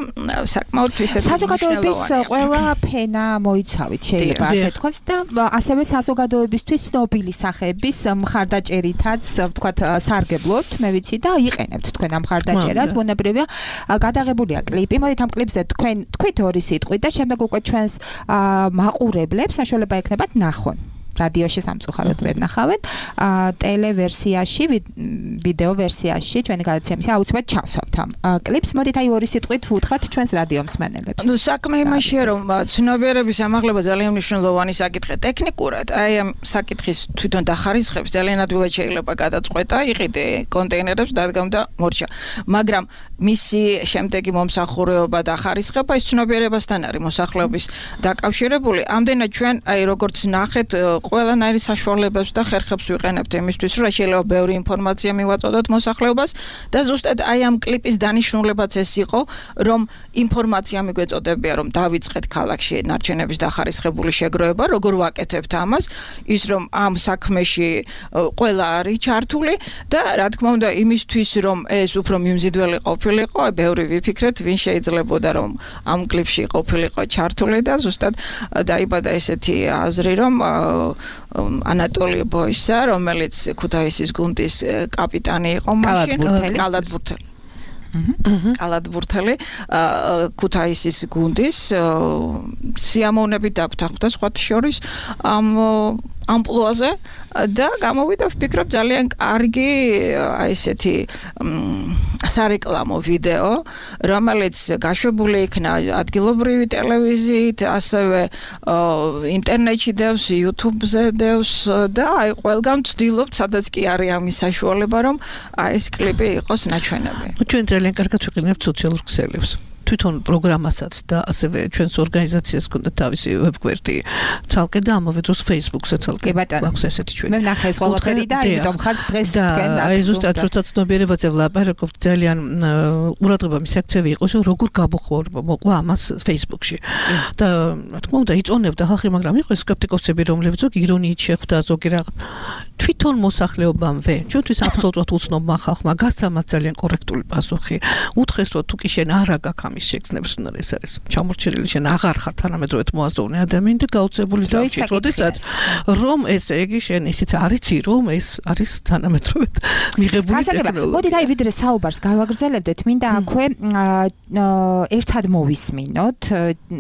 საკმაოდ ისეთი საზოგადოების ყველა ფენა მოიცავით შეიძლება ასე თქვა და ასევე საზოგადოებისთვის ცნობილი სახეების მხარდაჭერითაც ვთქვათ სარგებლობთ, მე ვიცი და იყენებთ თქვენ ამ მხარდაჭერას, ბუნებრივია გადაღებულია კლიპი. მოდით ამ კლიპზე თქვით ორი სიტყვით და შემდეგ უკვე ჩვენს მაყურებლებს საშუალება ექნებათ ნახონ. რადიოში სამწუხაროდ ვერ ნახავთ. ტელევერსიაში, ვიდეო ვერსიაში ჩვენი გადაცემის აუცილებლად ჩავსვათ ამ კლიპს. მოდით აი ორი სიტყვით ვუთხრათ ჩვენს რადიო მსმენელებს. ნუ საქმე იმაშია, რომ ცნობიერების ამაღლება ძალიან მნიშვნელოვანი საკითხია ტექნიკურად. აი ამ საკითხის თვითონ დახარისხებს ძალიან ადვილად შეიძლება გადაწყვეტა, იყიდე კონტეინერებს, დადგამ და მორჩა. მაგრამ მისი შემდეგი მომსახურება და ხარისხება ის ცნობიერებასთან არის მოსახლეობის დაკავშირებული. ამდენად ჩვენ აი როგორც ნახეთ ყველანაირი საშუალებებს და ხერხებს ვიყენებთ იმისთვის, რომ შეიძლება ბევრი ინფორმაცია მივაწოდოთ მოსახლეობას და ზუსტად აი ამ კლიპის დანიშნულებაც ეს იყო, რომ ინფორმაცია მიგვეწოდებია, რომ დავიწყეთ ქალაქში ნარჩენების დახარისხებული შეგროვება, როგორ ვაკეთებთ ამას, ის რომ ამ საქმეში ყველა არის ჩართული და რა თქმა უნდა იმისთვის, რომ ეს უფრო მიმზიდველი ყოფილიყო, ბევრი ვიფიქრეთ, ვინ შეიძლებოდა რომ ამ კლიპში ყოფილიყო ჩართული და ზუსტად დაიბადა ესეთი აზრი, რომ ანატოლი ბოისა, რომელიც ქუთაისის გუნდის კაპიტანი იყო მაშინ, კალათბურთელი ქუთაისის გუნდის სიამოვნებით დაგვთანხმდა სხვათა შორის ამპლუაზე და გამოვიდა ვფიქრობ ძალიან კარგი აი ესეთი სარეკლამო ვიდეო, რომელიც გაშვებული იქნა ადგილობრივი ტელევიზიით, ასევე ინტერნეტში დევს, YouTube-ზე დევს და აი ყველგან ვცდილობთ, სადაც კი არის ამის საშუალება, რომ აი ეს კლიპი იყოს ნაჩვენები. ჩვენ ძალიან კარგად ვიყენებთ სოციალურ ქსელებს. თვითონ პროგრამასაც და ასევე ჩვენს ორგანიზაციას ქონდა თავისი ვებგვერდი ცალკე და ამავე დროს Facebook-ზე ცალკე აქვს ესეთი ჩვენ. მე ვნახე ეს ყველაფერი და იმიტომ ხართ დღეს თქვენ და აი ზუსტად როცა ცნობიერებაზე ვლაპარაკობთ ძალიან ყურადღება მისაქცევი იყო, რომ როგორ გამოხმაურება მოყვა ამას Facebook-ში. და რა თქმა უნდა იწონებდა ხალხი, მაგრამ იყო სკეპტიკოსები, რომლებიც ზოგი ირონიით შეხვდა, ზოგი რაღაც თვითონ მოსახლეობამვე ჩვენთვის აბსოლუტურად უცნობმა ხალხმა გასცა მათ ძალიან კორექტული პასუხი. უთხრეს რომ თუ კი შენ არ აგაქვს ის შეგრძნებს უნდა ეს არის ჩამორჩენილი შენ აღარ ხარ თანამედროვედ მოაზროვნე ადამიანი და გაუწებული დავჭირ როდესაც რომ ეს ეგი შენ ისიც არიცი რომ ეს არის თანამედროვედ მიღებული ტექნოლოგია. მოდით აი ვიდრე საუბარს გავაგრძელებდეთ, მინდა აქვე ერთად მოვისმინოთ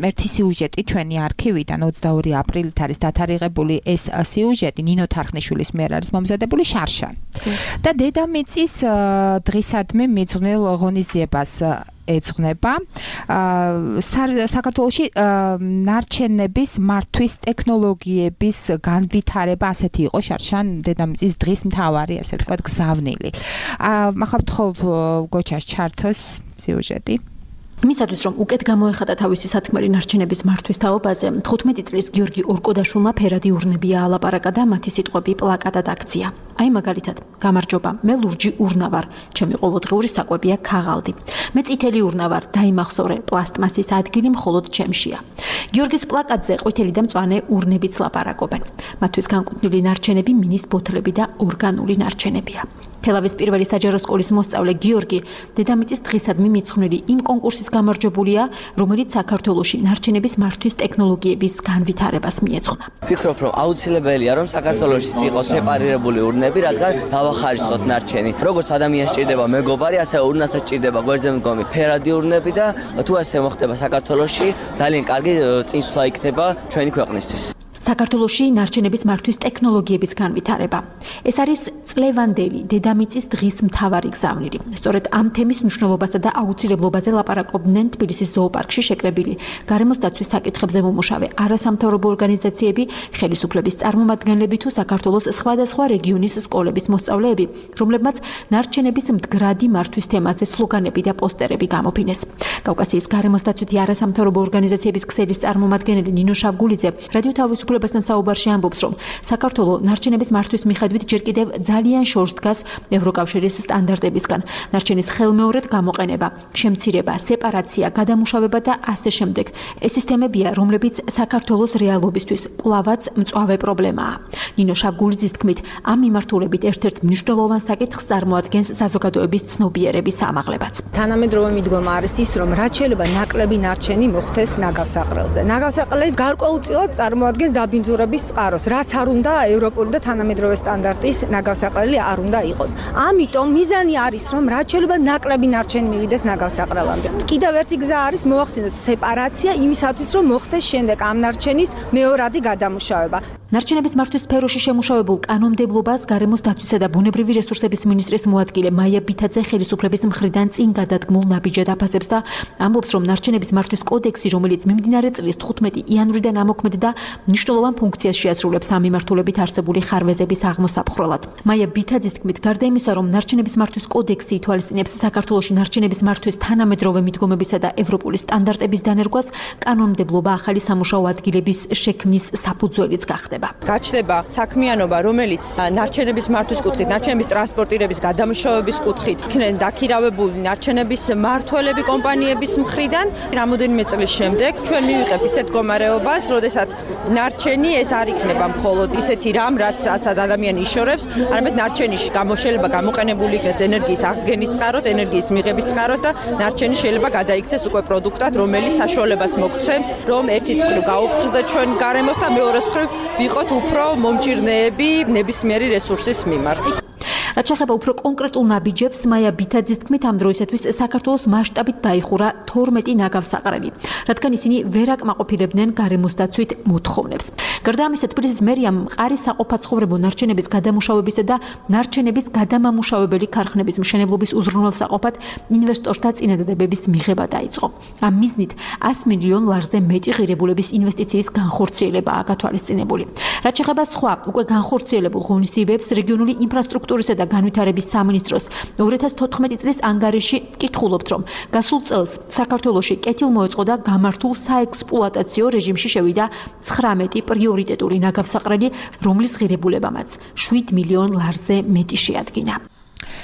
ერთი სიუჟეტი ჩვენი არქივიდან 22 აპრილით არის დათარიღებული ეს სიუჟეტი ნინო თარხნიშვილის მიერ არის მომზადებული შარშან. და დედამიწის დღისადმი მიძღვნილ ღონისძიებას ეძღვნება საქართველოში ნარჩენების მართვის ტექნოლოგიების განვითარება ასეთი იყო შარშან დედამიწის დღის მთავარი ასე ვთქვათ გზავნილი. ახლა ვთხოვ გოჩას ჩართოს სიუჟეტი. იმისათვის რომ უკეთ გამოეხატა თავისი სათქმელი ნარჩენების მართვის თაობაზე 15 წლის გიორგი ორკოდაშვილმა ფერადი ურნებია ალაპარაკა და მათი სიტყვები პლაკატად აქცია. აი მაგალითად, გამარჯობა, მე ლურჯი ურნა ვარ, ჩემი ყოველდღიური საკვებია ქაღალდი. მე წითელი ურნა ვარ, დაიმახსოვრე, პლასტმასის ადგილი მხოლოდ ჩემშია. გიორგის პლაკატზე ყვითელი და მწვანე ურნებიც ლაპარაკობენ. მათთვის განკუთვნილი ნარჩენები მინის ბოთლები და ორგანული ნარჩენებია. თელავის პირველი საჯარო სკოლის მოსწავლე გიორგი დედამიწის დღისადმი მიძღვნილი იმ კონკურსის გამარჯვებულია, რომელიც საქართველოში ნარჩენების მართვის ტექნოლოგიების განვითარებას მიეძღვნა. ვფიქრობ, რომ აუცილებელია, რომ საქართველოში იყოს სეპარირებული ურნები, რადგან დავახარისხოთ ნარჩენი. როგორც ადამიანს ჭირდება მეგობარი, ასევე ურნასაც ჭირდება გვერდზე მდგომი ფერადი ურნები და თუ ასე მოხდება საქართველოში, ძალიან კარგი წინსვლა იქნება ჩვენი ქვეყნისთვის. საქართველოში ნარჩენების მართვის ტექნოლოგიების განვითარება. ეს არის წლევანდელი დედამიწის დღის მთავარი გზავნილი. სწორედ ამ თემის მნიშვნელობასა და აუცილებლობაზე ლაპარაკობდნენ თბილისის ზოოპარკში შეკრებილი გარემოს დაცვის საკითხებზე მომუშავე არასამთავრობო ორგანიზაციები, ხელისუფლების წარმომადგენლები თუ საქართველოს სხვადასხვა რეგიონის სკოლების მოსწავლეები, რომლებმაც ნარჩენების მდგრადი მართვის თემაზე სლოგანები და პოსტერები გამოფინეს. კავკასიის გარემოს დაცვითი არასამთავრობო ორგანიზაციების ქსელის წარმომადგენელი ნინო შავგულიძე რადიო თავისუფლებასთან საუბარში ამბობს, რომ საქართველოს ნარჩენების მართვის მიხედვით ჯერ კიდევ ძალიან შორს დგას ევროკავშირის სტანდარტებისგან. ნარჩენის ხელმეორედ გამოყენება, შემცირება, სეპარაცია, გადამუშავება და ასე შემდეგ. ეს სისტემებია, რომლებიც საქართველოს რეალობისთვის კვლავაც მწვავე პრობლემაა. ნინო შავგულიძის თქმით, ამ მიმართულებით ერთ-ერთ მნიშვნელოვან საკითხს წარმოადგენს საზოგადოების ცნობიერების ამაღლებაც. თანამედროვე მიდგომა არის ის, რომ რაც შეიძლება ნაკლები ნარჩენი მოხდეს ნაგავსაყრელზე. ნაგავსაყრელი გარკვეულწილად წარმოადგენს დაბინძურების წყაროს, რაც არ უნდა ევროპული და თანამედროვე სტანდარტის ნაგავსაყრელი არ უნდა იყოს. ამიტომ მიზანი არის, რომ რაც შეიძლება ნაკლები ნარჩენი მივიდეს ნაგავსაყრელამდე. კიდევ ერთი გზა არის მოვახდინოთ სეპარაცია იმისათვის, რომ მოხდეს შემდეგ ამ ნარჩენის მეორადი გადამუშავება. ნარჩენების მართვის სფეროში შემუშავებულ კანონმდებლობას გარემოს დაცვისა და ბუნებრივი რესურსების მინისტრის მოადგილე მაია ბითაძე ხელისუფლების მხრიდან წინ გადადგმულ ნაბიჯად აფასებს და ამბობს, რომ ნარჩენების მართვის კოდექსი, რომელიც მიმდინარე წლის 15 იანვრიდან ამოქმედდა, მნიშვნელოვან ფუნქციას შეასრულებს ამ მიმართულებით არსებული ხარვეზების აღმოსაფხრელად. მაია ბითაძის თქმით, გარდა იმისა, რომ ნარჩენების მართვის კოდექსი ითვალისწინებს საქართველოში ნარჩენების მართვის თანამედროვე მიდგომებისა და ევროპული სტანდარტების დანერგვას, კანონმდებლობა ახალი სამუშაო ადგილების შექმნის საფუძველიც გახდება. გაჩნდება საქმიანობა, რომელიც ნარჩენების მართვის კუთხით, ნარჩენების ტრანსპორტირების გადამუშავების კუთხით იქნენ დაქირავებული ნარჩენების მმართველები კომპანიების მხრიდან. რამოდენიმე წლის შემდეგ ჩვენ მივიღებთ ისეთ მდგომარეობას, როდესაც ნარჩენი ეს არ იქნება მხოლოდ ისეთი რამ, რაც ადამიანი იშორებს, არამედ ნარჩენის გამოშლება გამოყენებული იქნეს ენერგიის აღდგენის წყაროდ, ენერგიის მიღების წყაროდ და ნარჩენი შეიძლება გადაიქცეს უკვე პროდუქტად, რომელიც საშუალებას მოგცემს, რომ ერთის მხრივ გაუფრთხილდეთ ჩვენ გარემოს და მეორეს მხრივ ვიყოთ უფრო მომჭირნეები ნებისმიერი რესურსის მიმართ. რაც შეეხება უფრო კონკრეტულ ნაბიჯებს, მაია ბითაძის თქმით, ამ დროისათვის საქართველოს მასშტაბით დაიხურა 12 ნაგავსაყრელი, რადგან ისინი ვერ აკმაყოფილებდნენ გარემოს დაცვით მოთხოვნებს. გარდა ამისა, თბილისის მერიამ მყარი საყოფაცხოვრებო ნარჩენების გადამუშავებისა და ნარჩენების გადამამუშავებელი ქარხნების მშენებლობის უზრუნველსაყოფად ინვესტორთა წინადადებების მიღება დაიწყო. ამ მიზნით 100 მილიონ ლარზე მეტი ღირებულების ინვესტიციის განხორციელებაა გათვალისწინებული. რაც შეეხება სხვა უკვე განხორციელებულ ღონისძიებებს, რეგიონული ინფრასტრუქტურისა და განვითარების სამინისტროს 2014 წლის ანგარიში კითხულობთ, რომ გასულ წელს საქართველოში კეთილმოეწყო და გამართულ საექსპლუატაციო რეჟიმში შევიდა 19 პრიორიტეტული ნაგავსაყრელი, რომლის ღირებულებამაც 7 მილიონ ლარზე მეტი შეადგინა.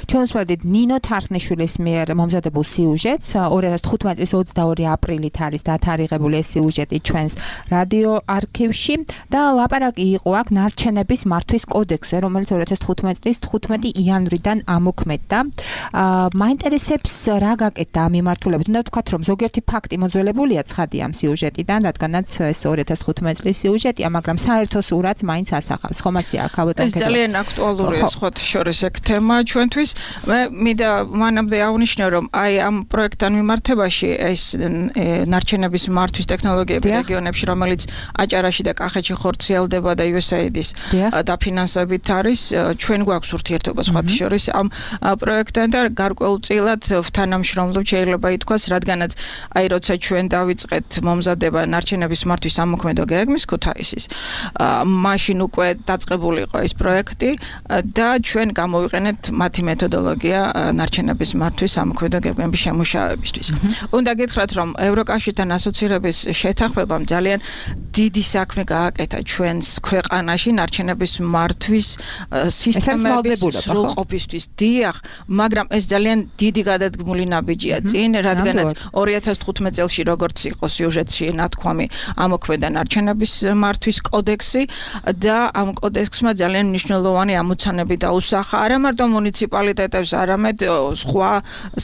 ჩვენ ვსვენდით ნინო თარხნიშვილის მიერ მომზადებულ სიუჟეტს. 2015 წლის 22 აპრილით არის დათარიღებული ეს სიუჟეტი ჩვენს რადიო არქივში და ლაპარაკი იყო აქ ნარჩენების მართვის კოდექსზე, რომელიც 2015 წლის 15 იანვრიდან ამოქმედდა. მაინტერესებს რა გაკეთდა ამ მიმართულებით. უნდა ვთქვათ, რომ ზოგიერთი ფაქტი მოძველებულია ცხადია ამ სიუჟეტიდან, რადგანაც ეს 2015 წლის სიუჟეტია, მაგრამ საერთო სურათს მაინც ასახავს. ხომ ასე აქ ალბათ ეს ძალიან აქტუალურია სხვათა შორის ეგ თემა ჩვენთვის. მე მინდა მანამდე აღნიშნო, რომ აი ამ პროექტთან მიმართებაში ეს ნარჩენების მართვის ტექნოლოგიები რეგიონებში, რომელიც აჭარაში და კახეთში ხორციელდება და USAID-ის დაფინანსებით არის, ჩვენ გვაქვს ურთიერთობა სხვათა შორის ამ პროექტთან და გარკვეულწილად თანამშრომლობთ შეიძლება ითქვას, რადგანაც აი როცა ჩვენ დავიწყეთ მომზადება ნარჩენების მართვის ამოქმედო გეგმის ქუთაისის, მაშინ უკვე დაწყებული იყო ეს პროექტი და ჩვენ გამოვიყენეთ მათი მეთოდოლოგია ნარჩენების მართვის ამოქმედო გეგმების შემუშავებისთვის. უნდა გითხრათ, რომ ევროკავშირთან ასოცირების შეთანხმებამ ძალიან დიდი საქმე გააკეთა ჩვენს ქვეყანაში ნარჩენების მართვის სისტემების სრულყოფისთვის. დიახ, მაგრამ ეს ძალიან დიდი გადადგმული ნაბიჯია წინ, რადგანაც 2015 წელს როგორც იყო სიუჟეტში ნათქვამი, ამოქმედა ნარჩენების მართვის კოდექსი და ამ კოდექსმა ძალიან მნიშვნელოვანი ამოცანები დაუსახა არა მარტო მუნიციპალიტეტებს, არამედ სხვა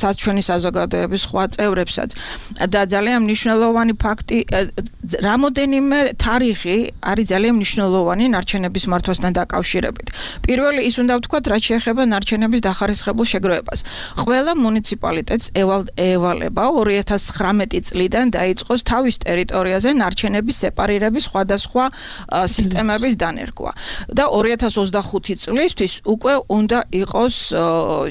საჩვენი საზოგადოების სხვა წევრებსაც. და ძალიან მნიშვნელოვანი ფაქტი, რამოდენიმე თარიღი არის ძალიან მნიშვნელოვანი ნარჩენების მართვასთან დაკავშირებით. პირველი ის უნდა ვთქვათ, რაც შეეხება ნარჩენების დახარისხებულ შეგროვებას. ყველა მუნიციპალიტეტს ევალება 2019 წლიდან დაიწყოს თავის ტერიტორიაზე ნარჩენების სეპარირების სხვადასხვა სისტემების დანერგვა. და 2025 წლისთვის უკვე უნდა იყოს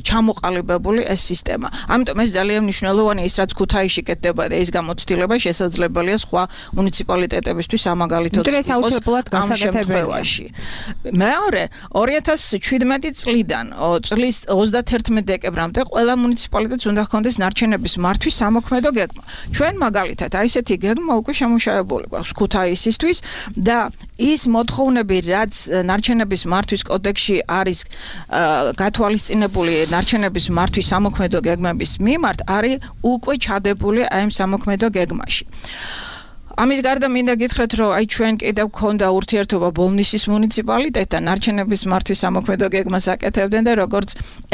ჩამოყალიბებული ეს სისტემა. ამიტომ ეს ძალიან მნიშვნელოვანია, ის რაც ქუთაისში კეთდება და ეს გამოცდილება შესაძლებელია სხვა მუნიციპალიტეტებისთვის ამაგალითოდ ამ შემთხვევაში. მეორე, 2017 წლიდან წლის 31 დეკემბრამდე ყველა მუნიციპალიტეტს უნდა ჰქონდეს ნარჩენების მართვის სამოქმედო გეგმა. ჩვენ მაგალითად აი ესეთი გეგმა უკვე შემუშავებული გვაქვს ქუთაისისთვის და ის მოთხოვნები, რაც ნარჩენების მართვის კოდექსში არის გათვალისწინებული ნარჩენების მართვის სამოქმედო გეგმების მიმართ, არის უკვე ჩადებული აი ამ სამოქმედო გეგმაში. ამის გარდა მინდა გითხრათ, რომ აი ჩვენ კიდევ გქონდა ურთიერთობა ბოლნისის მუნიციპალიტეტთან, ნარჩენების მართვის სამოქმედო გეგმას აკეთებდნენ და როგორც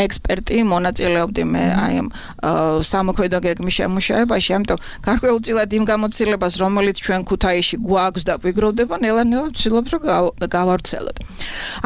ექსპერტი მონაწილეობდი მე აი ამ სამოქმედო გეგმის შემუშავებაში, ამიტომ გარკვეულწილად იმ გამოცდილებას, რომელიც ჩვენ ქუთაისში გვაქვს და გვიგროვდება, ნელა-ნელა ვცდილობ, რომ გავავრცელოთ.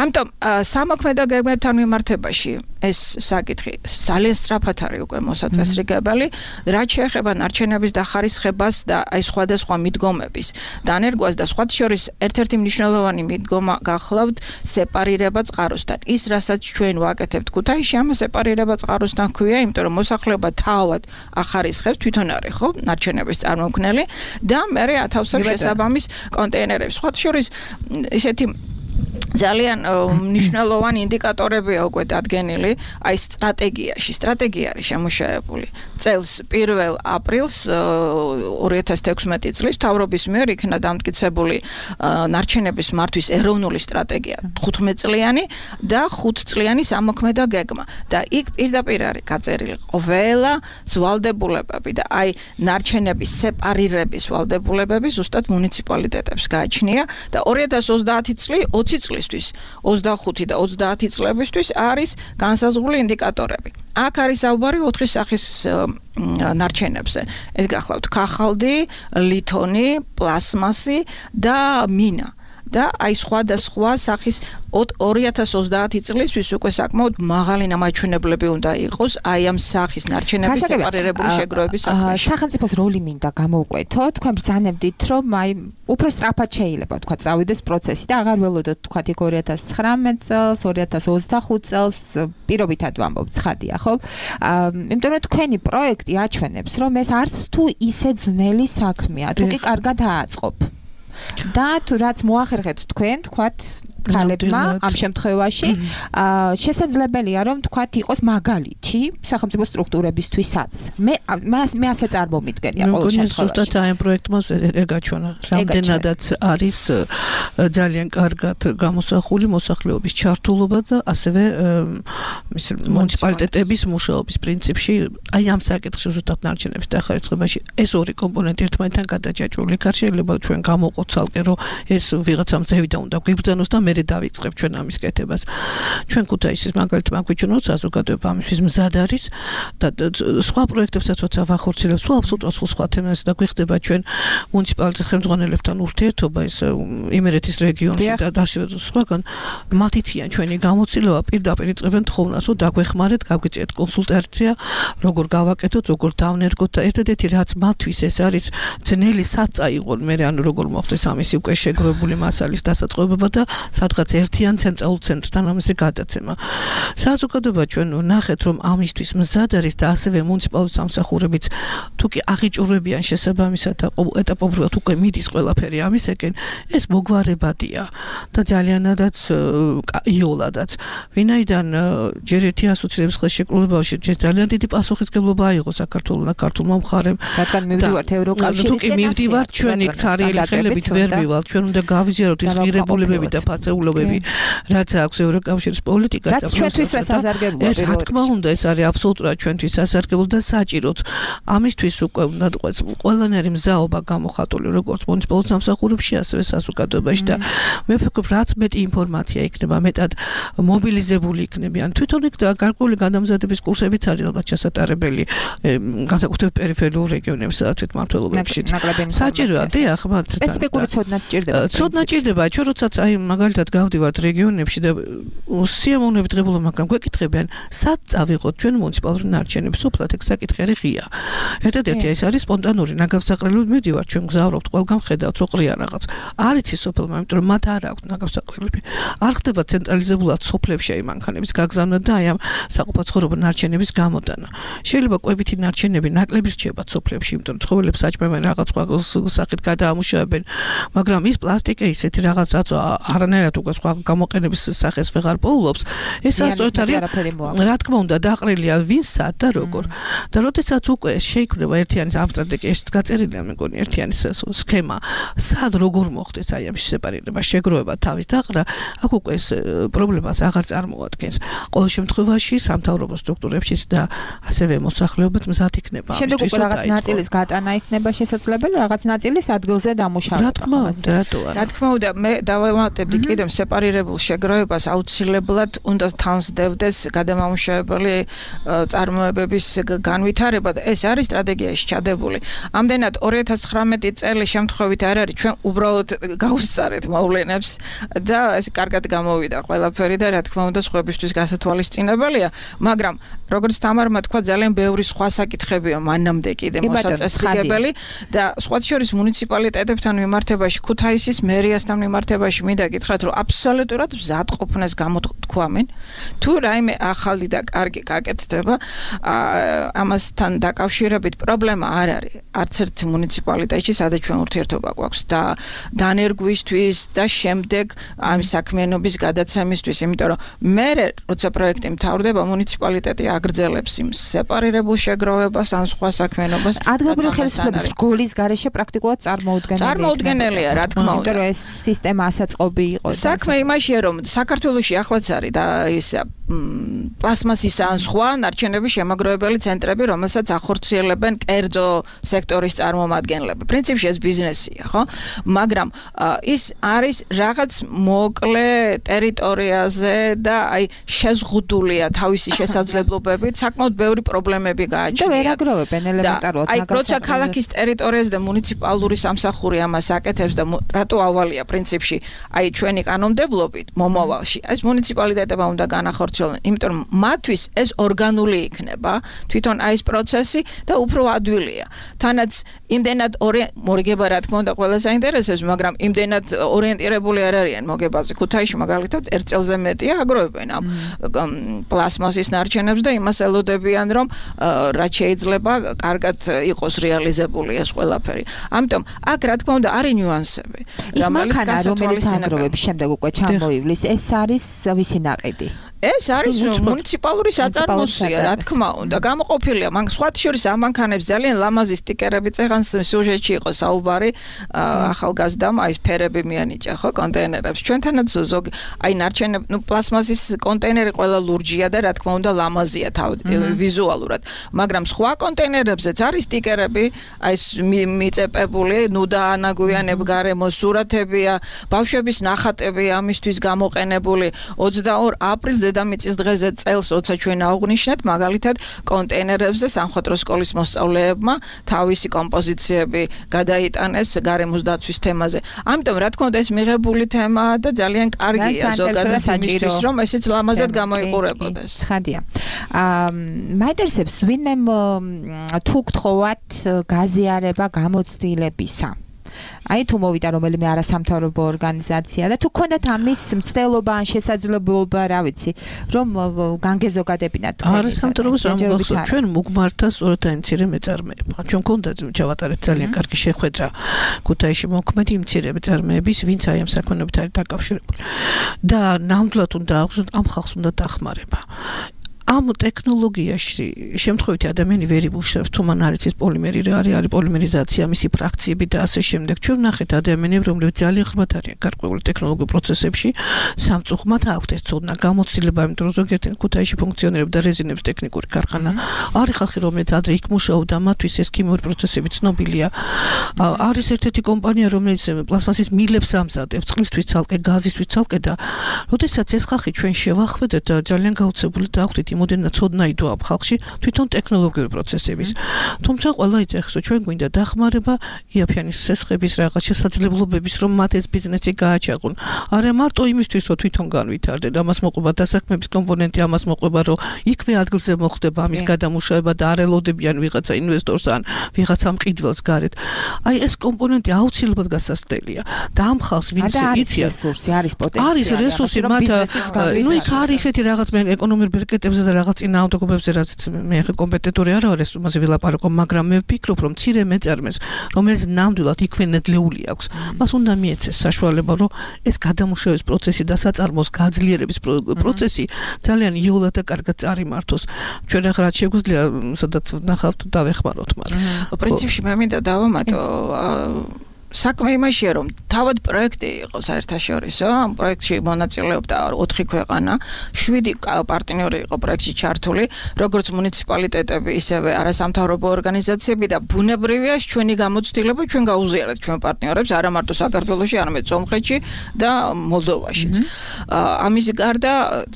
ამიტომ სამოქმედო გეგმებთან მიმართებაში ეს საკითხი ძალიან სწრაფად არის უკვე მოსაწესრიგებელი, რაც შეეხება ნარჩენების დახარისხებას და აი სხვადასხვა მიდგომების დანერგვას და სხვათა შორის ერთ-ერთი მნიშვნელოვანი მიდგომა გახლავთ სეპარირება წყაროსთან. ის, რასაც ჩვენ ვაკეთებთ ქუთაისში, ამ სეპარირება წყაროსთან ქვია, იმიტომ რომ მოსახლეობა თავად ახარისხებს, თვითონ არის ხო ნარჩენების წარმომქმნელი და მერე ათავსებს შესაბამის კონტეინერებს. სხვათა შორის ისეთი ძალიან მნიშვნელოვანი ინდიკატორებია უკვე დადგენილი აი სტრატეგია არის შემუშავებული წელს 1 აპრილს 2016 წლის მთავრობის მიერ იქნა დამტკიცებული ნარჩენების მართვის ეროვნული სტრატეგია 15 წლიანი და 5 წლიანი სამოქმედო გეგმა და იქ პირდაპირ არის გაწერილი ყველა ვალდებულებები და აი ნარჩენების სეპარირების ვალდებულებები ზუსტად მუნიციპალიტეტებს გააჩნია და 2030 წლის 20 წლისთვის 25 და 30 წლებისთვის არის განსაზღვრული ინდიკატორები. აქ არის საუბარი 4 სახის ნარჩენებზე. ეს გახლავთ ქაღალდი, ლითონი, პლასმასი და მინა. და აი სხვადასხვა სახის 2030 წლისთვის უკვე საკმაოდ მაღალი ნამაჩვენებლები უნდა იყოს აი ამ სახის ნარჩენების სეპარირებული შეგროვების საქმეში. სახელმწიფოს როლი მინდა გამოვკვეთო, თქვენ ბრძანებდით, რომ აი უფრო სწრაფად შეიძლება თქვა წავიდეს პროცესი და აღარ ველოდოთ თქვა 2019 წელს, 2025 წელს პირობითად ვამბობ ცხადია, ხო? იმიტომ რომ თქვენი პროექტი აჩვენებს, რომ ეს არც თუ ისე ძნელი საქმეა, თუ კი კარგად ააწყობ. და თუ რაც მოახერხეთ თქვენ, თქვათ ქალებმა ამ შემთხვევაში შესაძლებელია რომ თქვათ იყოს მაგალითი სახელმწიფო სტრუქტურებისთვისაც. მე ასე წარმომიდგენია ყოველ შემთხვევაში. ზუსტად აი ამ პროექტმა ეგაჩვენა. რამდენადაც არის ძალიან კარგად გამოსახული მოსახლეობის ჩართულობა და ასევე მუნიციპალიტეტების მუშაობის პრინციპში აი ამ საკითხში ზუსტად ნარჩენების დახარისხებაში ეს ორი კომპონენტი ერთმანეთთან გადაჯაჭვული. იქ შეიძლება ჩვენ გამოვყოთ ცალკე რომ ეს ვიღაცამ ზევიდან უნდა გვიბრძანოს და მე დავიწყებ ჩვენ ამის კეთებას. ჩვენ ქუთაისის მაგალითად მაგვიჩვენოთ საზოგადოება ამისთვის მზად არის და სხვა პროექტებსაც როცა ვახორციელებთ, სულ აბსოლუტურად სხვა თემაზე და გვიხდება ჩვენ მუნიციპალიტეტ ხელმძღვანელებთან ურთიერთობა ის იმერეთის რეგიონში და სხვაგან მათიციან ჩვენი გამოცდილება პირდაპირ იწყებენ თხოვნას, რომ დაგვეხმარეთ, გავგიწიეთ კონსულტაცია, როგორ გავაკეთოთ, როგორ დავნერგოთ და ერთადერთი რაც მათთვის ეს არის ძნელი საწა იყო მე ანუ როგორ მოხდეს ამისი უკვე შეგროვებული მასალის დასაწყობება და სადღაც ერთიან ცენტრალურ ცენტრთან ამაზე გადაცემა. საზოგადოება ჩვენ ნახეთ რომ ამისთვის მზად არის და ასევე მუნიციპალური სამსახურებიც თუ კი აღიჭურებიან შესაბამისად და ეტაპობრივად უკვე მიდის ყველაფერი ამისაკენ, ეს მოგვარებადია და ძალიანადაც იოლადაც. ვინაიდან ჯერ ერთი ასოცირების ხელშეკრულებაში ძალიან დიდი პასუხისმგებლობა აიღო საქართველოს და ქართულმა მხარემ. რადგან მივდივართ ევროკავშირისკენ, თუ კი მივდივართ ჩვენ იქ ცარიელი ხელებით ვერ მივალთ, ჩვენ უნდა გავიზიაროთ ის ღირებულებები და ფასეულობები, რაც აქვს ევროკავშირის პოლიტიკას და ჩვენთვის სასარგებლოა. რა თქმა უნდა, ეს არის აბსოლუტურად ჩვენთვის სასარგებლო და საჭიროც. ამისთვის უკვე უნდა თქვა ყველანაირი მზაობა გამოხატული როგორც მუნიციპალურ სამსახურებში, ასევე საზოგადოებაში და მე ვფიქრობ, რაც მეტი ინფორმაცია იქნება, მეტად მობილიზებული იქნებიან. თვითონ იქ და გარკვეული გადამზადების კურსებიც არის ალბათ ჩასატარებელი განსაკუთრებით პერიფერიულ რეგიონებში, სადაც მმართველობებში. საჭიროა დიახ, მათ სპეციფიკური ცოდნა ჭირდება. ცოდნა ჭირდება, ჩვენ როდესაც აი მაგალითად გავდივართ რეგიონებში და სიამოვნებით ღებულობ, მაგრამ გვეკითხებიან, სად წავიღოთ ჩვენ მუნიციპალური ნარჩენები, სოფლად ეგ საკითხი არის ღია. ერთადერთი ეს არის სპონტანური ნაგავსაყრელები, მივდივართ ჩვენ გზავრობთ, ყველგან ხედავთ, ოყრია რაღაც. არ იცის სოფელმა, იმიტომ რომ მათ არ აქვს ნაგავსაყრელები. არ ხდება ცენტრალიზებულად სოფლებში აი მანქანების გაგზავნა და აი ამ საყოფაცხოვრებო ნარჩენების გამოდანა. შეიძლება კვებითი ნარჩენები ნაკლები რჩება სოფლებში, იმიტომ რომ ცხოველებს საჭმევენ რაღაც სხვა სახით გადაამუშავებენ, მაგრამ ის პლასტიკი ისეთი რაღაც არანაირად ვერანაირად უკვე სხვა გამოყენების სახეს ვეღარ პოულობს ეს სწორედ არის რა თქმა უნდა დაყრილია ვინსად და როგორ და როდესაც უკვე შეიქმნება ერთიანი ამ სტრატეგიაში გაწერილია მეგონი ერთიანი სქემა სად როგორ მოხდეს აი ამ სეპარირება შეგროვება თავის დაყრა აქ უკვე ეს პრობლემას აღარ წარმოადგენს ყოველ შემთხვევაში სამთავრობო სტრუქტურებშიც და ასევე მოსახლეობაც მზად იქნება შემდეგ უკვე რაღაც ნაწილის გატანა იქნება შესაძლებელი რაღაც ნაწილის ადგილზე დამუშავება რა თქმა უნდა რა თქმა უნდა მე დავამატებდი კიდევ სეპარირებულ შეგროვებას აუცილებლად უნდა თანსდევდეს გადამამუშავებელი წარმოებების განვითარება და ეს არის სტრატეგიაში ჩადებული ამდენად 2019 წელი შემთხვევით არ არის ჩვენ უბრალოდ გავუსწარეთ მოვლენებს და ეს კარგად გამოვიდა ყველაფერი და რა თქმა უნდა სხვებისთვის გასათვალისწინებელია მაგრამ როგორც თამარმა თქვა ძალიან ბევრი სხვა საკითხებია მანამდე კიდე მოსაწესრიგებელი და სხვა შორის მუნიციპალიტეტებთან მიმართებაში ქუთაისის მერიასთან მიმართებაში მინდა გითხრათ რომ აბსოლუტურად მზად ყოფნას გამოთქვამენ თუ რაიმე ახალი და კარგი გაკეთდება ამასთან დაკავშირებით პრობლემა არ არის არც ერთ მუნიციპალიტეტში სადაც ჩვენ ურთიერთობა გვაქვს და დანერგვისთვის და შემდეგ ამ საქმიანობის გადაცემისთვის იმიტომ რომ მე როცა პროექტი მთავრდება მუნიციპალიტეტი აგრძელებს იმ სეპარირებულ შეგროვებას ან სხვა საქმიანობას ადგილობრივი ხელისუფლების რგოლის გარეშე პრაქტიკულად წარმოუდგენელია რა თქმა უნდა იმიტომ რომ ეს სისტემა ასაწყობი იყო საქმე იმაშია რომ საქართველოში ახლაც არის და ის პლასმასის ან სხვა ნარჩენების შემაგროვებელი ცენტრები რომელსაც ახორციელებენ კერძო სექტორის წარმომადგენლები პრინციპში ეს ბიზნესია ხო მაგრამ ის არის რაღაც მოკლე ტერიტორიაზე და აი შეზღუდულია თავისი შესაძლებლობებით საკმაოდ ბევრი პრობლემები გააჩნია და ვერ აგროვებენ ელემენტარულად აი როცა ქალაქის ტერიტორიაზე და მუნიციპალური სამსახური ამას აკეთებს და რატო ავალია პრინციპში აი ჩვენი კანონმდებლობით მომავალში ეს მუნიციპალიტეტებმა უნდა განახორციელონ იმიტომ რომ მათთვის ეს ორგანული იქნება თვითონ აი ეს პროცესი და უფრო ადვილია თანაც იმდენად მორგება რა თქმა უნდა ყველა საინტერესებს მაგრამ იმდენად ორიენტირებული არ არიან მოგებაზე ქუთაისში მაგალითად ერთ წელზე მეტია აგროვებენ ამ პლასმასის ნარჩენებს და იმას ელოდებიან რომ რაც შეიძლება კარგად იყოს რეალიზებული ეს ყველაფერი ამიტომ აქ რა თქმა უნდა არის ნიუანსები რომელიც გასათვალისწინებელია შემდეგ უკვე ჩამოივლის ეს არის ვისი ნაყიდი ეს არის მუნიციპალური საწარმოსია რა თქმა უნდა გამოყოფილია მაგ სხვა შორის ამ მანქანებს ძალიან ლამაზი სტიკერები წეღან სიუჟეტში იყო საუბარი ახალგაზრდამ აი ეს ფერები მიანიჭა ხო კონტეინერებს ჩვენთანაც ზოგი აი ნარჩენებ პლასმასის კონტეინერი ყველა ლურჯია და რა თქმა უნდა ლამაზია ვიზუალურად მაგრამ სხვა კონტეინერებზეც არის სტიკერები აი ეს მიწეპებული ნუდაანაგვიანებ გარემო სურათებია ბავშვების ნახატებია ამისთვის გამოყენებული 22 აპრილს დედამიწის დღეზე წელს როცა ჩვენ აღვნიშნეთ მაგალითად კონტეინერებზე სამხატვრო სკოლის მოსწავლეებმა თავისი კომპოზიციები გადაიტანეს გარემოს დაცვის თემაზე ამიტომ რა თქმა უნდა ეს მიღებული თემაა და ძალიან კარგია ზოგადად იმისთვის რომ ესეც ლამაზად გამოიყურებოდეს ცხადია მაინტერესებს ვინმე თუ გთხოვათ გაზიარება გამოცდილებისა აი თუ მოვიდა რომელიმე არასამთავრობო ორგანიზაცია და თუ გქონდათ ამის მცდელობა ან შესაძლებლობა რა ვიცი რომ განგეზოგადებინათ არასამთავრობო ორგანიზაცია ჩვენ მოგმართა სწორედ აი მცირე მეწარმეება ჩვენ გქონდათ ჩავატარეთ ძალიან კარგი შეხვედრა ქუთაისში მოქმედი მცირე მეწარმეების ვინც აი ამ საქმეებით არის დაკავშირებული და ნამდვილად უნდა აღზრდოთ ამ ხალხს უნდა დახმარება ამ ტექნოლოგიაში შემთხვევითი ადამიანი ვერ იბუშებს თუ მან არის პოლიმერი რა არის პოლიმერიზაცია მისი ფრაქციები და ასე შემდეგ ჩვენ ვნახეთ ადამიანებს რომლებიც ძალიან ხმად არიან გარკვეული ტექნოლოგიურ პროცესებში სამწუხაროდ აქვთ ეს ცოდნა გამოცდილება იმიტომ რომ ზოგიერთი ქუთაისში ფუნქციონირებდა რეზინების ტექნიკური ქარხანა არის ხალხი რომელიც ადრე იქ მუშაობდა მათთვის ეს ქიმიური პროცესები ცნობილია არის ერთ-ერთი კომპანია რომელიც პლასმასის მილებს ამზადებს წყლისთვის ცალკე გაზისთვის ცალკე და როდესაც ეს ხალხი ჩვენ შევახვედეთ ძალიან გაუცებული დახვდით მოდენა ცოდნა იდო ამ ხალხში თვითონ ტექნოლოგიური პროცესების თუმცა ყველა იცეხს რომ ჩვენ გვინდა დახმარება იაფიანის სესხების რაღაც შესაძლებლობების რომ მათ ეს ბიზნესი გააჩაღონ არა მარტო იმისთვის რომ თვითონ განვითარდნენ ამას მოყვება დასაქმების კომპონენტი ამას მოყვება რომ იქვე ადგილზე მოხდება ამის გადამუშავება და არ ელოდებიან ვიღაცა ინვესტორს ან ვიღაცა მყიდველს გარეთ აი ეს კომპონენტი აუცილებლად გასაცდელია და ამ ხალხს ვინც იციან რესურსი არის პოტენციალი არის რესურსი მათ ნუ იქ არის ესეთი რაღაც მე ეკონომიკურ ბერკეტებზე და რაღაც წინააღმდეგობებზე რაც მე ხე კომპეტენტური არ ვარ ეს მასე ვილაპარაკო, მაგრამ მე ვფიქრობ რომ მცირე მეწარმეს, რომელიც ნამდვილად იქვე ნედლეული აქვს, მას უნდა მიეცეს საშუალება, რომ ეს გადამუშავების პროცესი და საწარმოს გაძლიერების პროცესი ძალიან იოლად და კარგად წარიმართოს. ჩვენ ახლა რაც შეგვიძლია, სადაც ნახავთ დავეხმაროთ, მაგრამ პრინციპში მე მინდა დავამატო საქმე იმაშია რომ თავად პროექტი იყო საერთაშორისო ამ პროექტში მონაწილეობდა 4 ქვეყანა 7 პარტნიორი იყო პროექტში ჩართული როგორც მუნიციპალიტეტები ისევე არასამთავრობო ორგანიზაციები და ბუნებრივია ჩვენი გამოცდილება ჩვენ გაუზიარეთ ჩვენ პარტნიორებს არა მარტო საქართველოში არამედ სომხეთში და მოლდოვაშიც ამის გარდა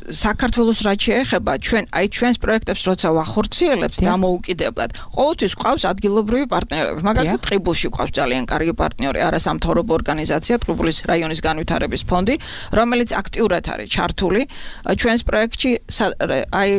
საქართველოს რაც შეეხება ჩვენ აი ჩვენს პროექტებს როცა ვახორციელებთ დამოუკიდებლად ყოველთვის ყავს ადგილობრივი პარტნიორები მაგალითად ტყიბულში ყავს ძალიან კარგი პარტნიორი არასამთავრობო ორგანიზაცია ტყიბულის რაიონის განვითარების ფონდი, რომელიც აქტიურად არის ჩართული ჩვენს პროექტში აი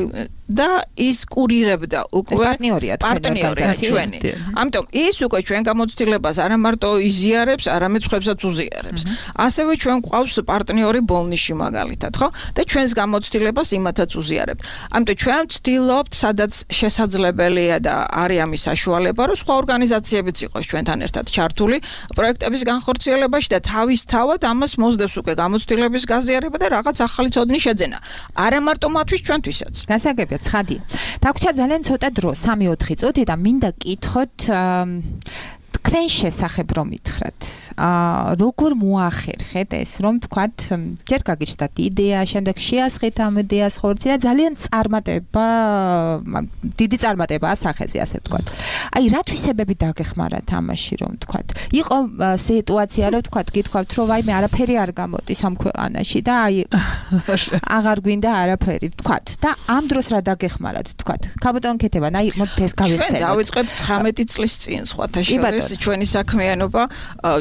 და ის კურირებდა უკვე პარტნიორია ჩვენი. ამიტომ ის უკვე ჩვენ გამოცდილებას არა მარტო იზიარებს, არამედ ხვებსაც უზიარებს. ასევე ჩვენ ყავს პარტნიორი ბოლნიში მაგალითად, ხო? და ჩვენს გამოცდილებას იმათაც უზიარებთ. ამიტომ ჩვენ ვცდილობთ, სადაც შესაძლებელია და არის ამის საშუალება, რომ სხვა ორგანიზაციებიც იყოს ჩვენთან ერთად ჩართული პროექტების განხორციელებაში და თავისთავად ამას მოსდევს უკვე გამოცდილების გაზიარება და რაღაც ახალი ცოდნის შეძენა. არა მარტო მათთვის, ჩვენთვისაც. გასაგებია ცხადია. დაგვრჩა ძალიან ცოტა დრო, 3-4 წუთი და მინდა კითხოთ თქვენ შესახებ რომ მითხრათ. როგორ მოახერხეთ ეს რომ თქვათ ჯერ გაგიჩნდათ იდეა, შემდეგ შეასხეთ ამ იდეას ხორცი და ძალიან დიდი წარმატება ასახეზე ასე ვთქვათ. აი რა თვისებები დაგეხმარათ ამაში რომ თქვათ. იყო სიტუაცია რომ თქვათ გითქვათ რომ აი მე არაფერი არ გამოდის ამ ქვეყანაში და აი აღარ გვინდა არაფერი თქვათ და ამ დროს რა დაგეხმარათ თქვათ. ქაბოტონ ქეთევან აი მოდით ეს გავიხსენოთ. ჩვენ დავიწყეთ 19 წლის წინ სხვათა შორის ჩვენი საქმიანობა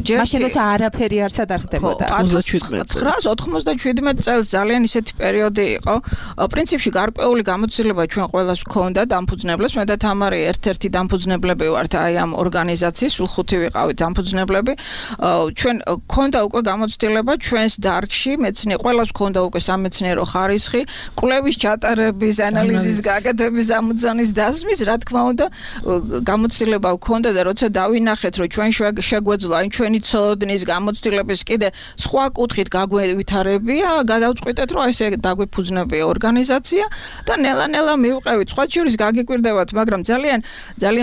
ჯერ მაშინ როცა არაფერი არცად არ ხდებოდა 997 წელს ძალიან ისეთი პერიოდი იყო პრინციპში გარკვეული გამოცდილება ჩვენ ყველას გვქონდა დამფუძნებლებს მე და თამარი ერთ-ერთი დამფუძნებლები ვართ აი ამ ორგანიზაციის სულ 5 ვიყავით დამფუძნებლები ჩვენ გვქონდა უკვე გამოცდილება ჩვენს დარგში მეცნიერ ყველას გვქონდა უკვე სამეცნიერო ხარისხი კვლევის ჩატარების ანალიზის გაკეთების ამოცანის დასმის რა თქმა უნდა გამოცდილება გვქონდა და როცა დავინახეთ რომ ჩვენ შეგვეძლო აი ჩვენი ცოდნის გამოცდილების კიდე სხვა კუთხით გაგვევითარებია, გადავწყვიტეთ რომ ესე დაგვეფუძნებია ორგანიზაცია და ნელა-ნელა მივყევით. სხვა შორის გაგიკვირდებათ, მაგრამ ძალიან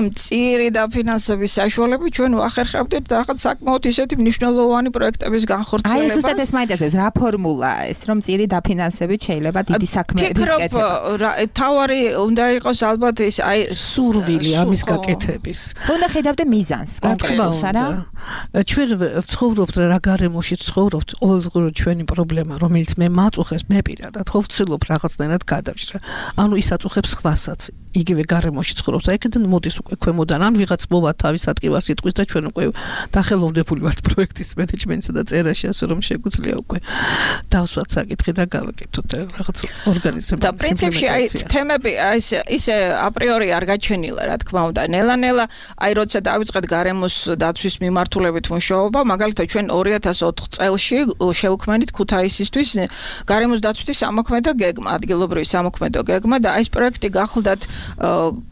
მწირი დაფინანსების საშუალებით ჩვენ ვახერხებდით რაღაც საკმაოდ ისეთი მნიშვნელოვანი პროექტების განხორციელებას. აი ზუსტად ეს მაინტერესებს, რა ფორმულა ეს რომ მწირი დაფინანსებით შეიძლება დიდი საქმეების კეთება. ფიქრობ, თავარი უნდა იყოს ალბათ ის აი სურვილი ამის გაკეთების. უნდა ხედავდე მიზანს კონკრეტულს არა? ჩვენ ვცხოვრობთ რა გარემოში ვცხოვრობთ, ყოველდღიურად ჩვენი პრობლემა, რომელიც მე მაწუხებს, მე პირადად ხო ვცდილობ რაღაცნაირად გადავშრა. ანუ ის აწუხებს სხვასაც. იგივე გარემოში ცხოვრობს. აი აქედან მოდის უკვე ქვემოდან, ან ვიღაც მოვა თავის ატკივას სიტყვის და ჩვენ უკვე დახელოვნებული ვართ პროექტის მენეჯმენტსა და წერაში, ასე რომ შეგვიძლია უკვე დავსვათ საკითხი და გავაკეთოთ რაღაც ორგანიზების. და პრინციპში აი თემები ისე აპრიორი არ გაჩენილა, რა თქმა უნდა. ნელა-ნელა აი როცა დავიწყეთ გარემოს დაცვის მიმართულებით მუშაობა, მაგალითად ჩვენ 2004 წელში შევქმნით ქუთაისისთვის გარემოს დაცვითი სამოქმედო გეგმა, ადგილობრივი სამოქმედო გეგმა და აი ეს პროექტი გახლდათ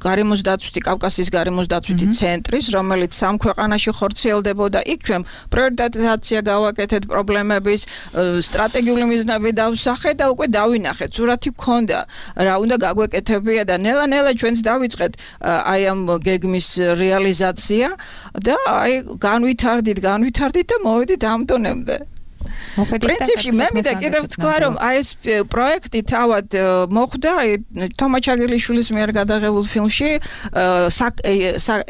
გარემოს დაცვითი კავკასიის გარემოს დაცვითი ცენტრის, რომელიც სამ ქვეყანაში ხორციელდებოდა. იქ ჩვენ პრიორიტიზაცია გავაკეთეთ პრობლემების, სტრატეგიული მიზნები დავსახეთ და უკვე დავინახეთ. სურათი გქონდა, რა უნდა გაგვეკეთებია და ნელა-ნელა ჩვენც დავიწყეთ აი ამ გეგმის რეალიზაცია და აი განვითარდით და მოვედით ამ დონემდე. პრინციპში მე მინდა კიდევ ვთქვა რომ აი ეს პროექტი თავად მოხდა თომა ჩაგელიშვილის მიერ გადაღებულ ფილმში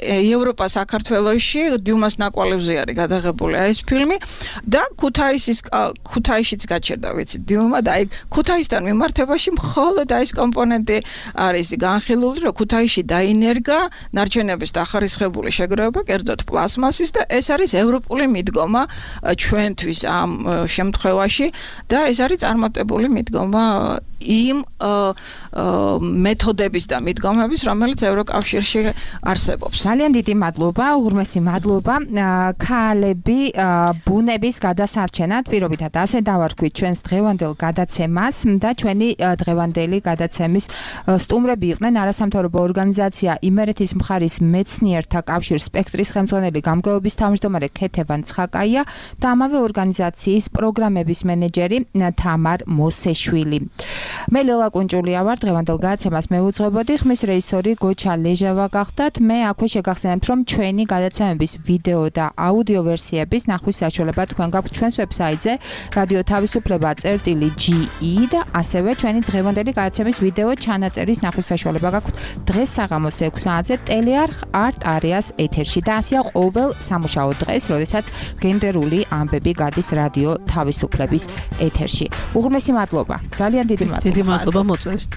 ევროპა საქართველოში დიუმას ნაკვალევზე არის გადაღებული აი ეს ფილმი და ქუთაისშიც გაჩერდა ვიცი დიუმა და აი ქუთაისთან მიმართებაში მხოლოდ აი ეს კომპონენტი არის განხილული რომ ქუთაისში დაინერგა ნარჩენების დახარისხებული შეგროვება კერძოდ პლასმასის და ეს არის ევროპული მიდგომა ჩვენთვის ამ შემთხვევაში და ეს არის წარმატებული მიდგომა იმ მეთოდების და მიდგომების, რომელიც ევროკავშირში არსებობს. ძალიან დიდი მადლობა, უღრმესი მადლობა. ქალები ბუნების გადასარჩენად პირობითად ასე დავარქვით ჩვენს დღევანდელ გადაცემას და ჩვენი დღევანდელი გადაცემის სტუმრები იყვნენ არასამთავრობო ორგანიზაცია იმერეთის მხარის მეცნიერთა კავშირ სპექტრის ხელმძღვანელი გამგეობის თავმჯდომარე ქეთევან ცხაკაია და ამავე ორგანიზაციის პროგრამების მენეჯერი თამარ მოსეშვილი. მე ლელა კუნჭულია ვარ, დღევანდელ გადაცემას მევუძღვებოდი, ხმის რეჟისორი გოჩა ლეჟავა გახდათ. მე აქვე შეგახსენებთ, რომ ჩვენი გადაცემების ვიდეო და აუდიო ვერსიების ნახვის საშუალება თქვენ გაქვთ ჩვენს ვებსაიტზე რადიო თავისუფლება.ge და ასევე ჩვენი დღევანდელი გადაცემის ვიდეო ჩანაწერის ნახვის საშუალება გაქვთ დღეს საღამოს 6 საათზე ტელეარხ არტ არეას ეთერში და ასეა ყოველ სამუშაო დღეს, როდესაც გენდერული ამბები გადის რადიო თავისუფლების ეთერში. უღრმესი მადლობა. ძალიან დიდი მადლობა. დიდი მადლობა მოწვევით.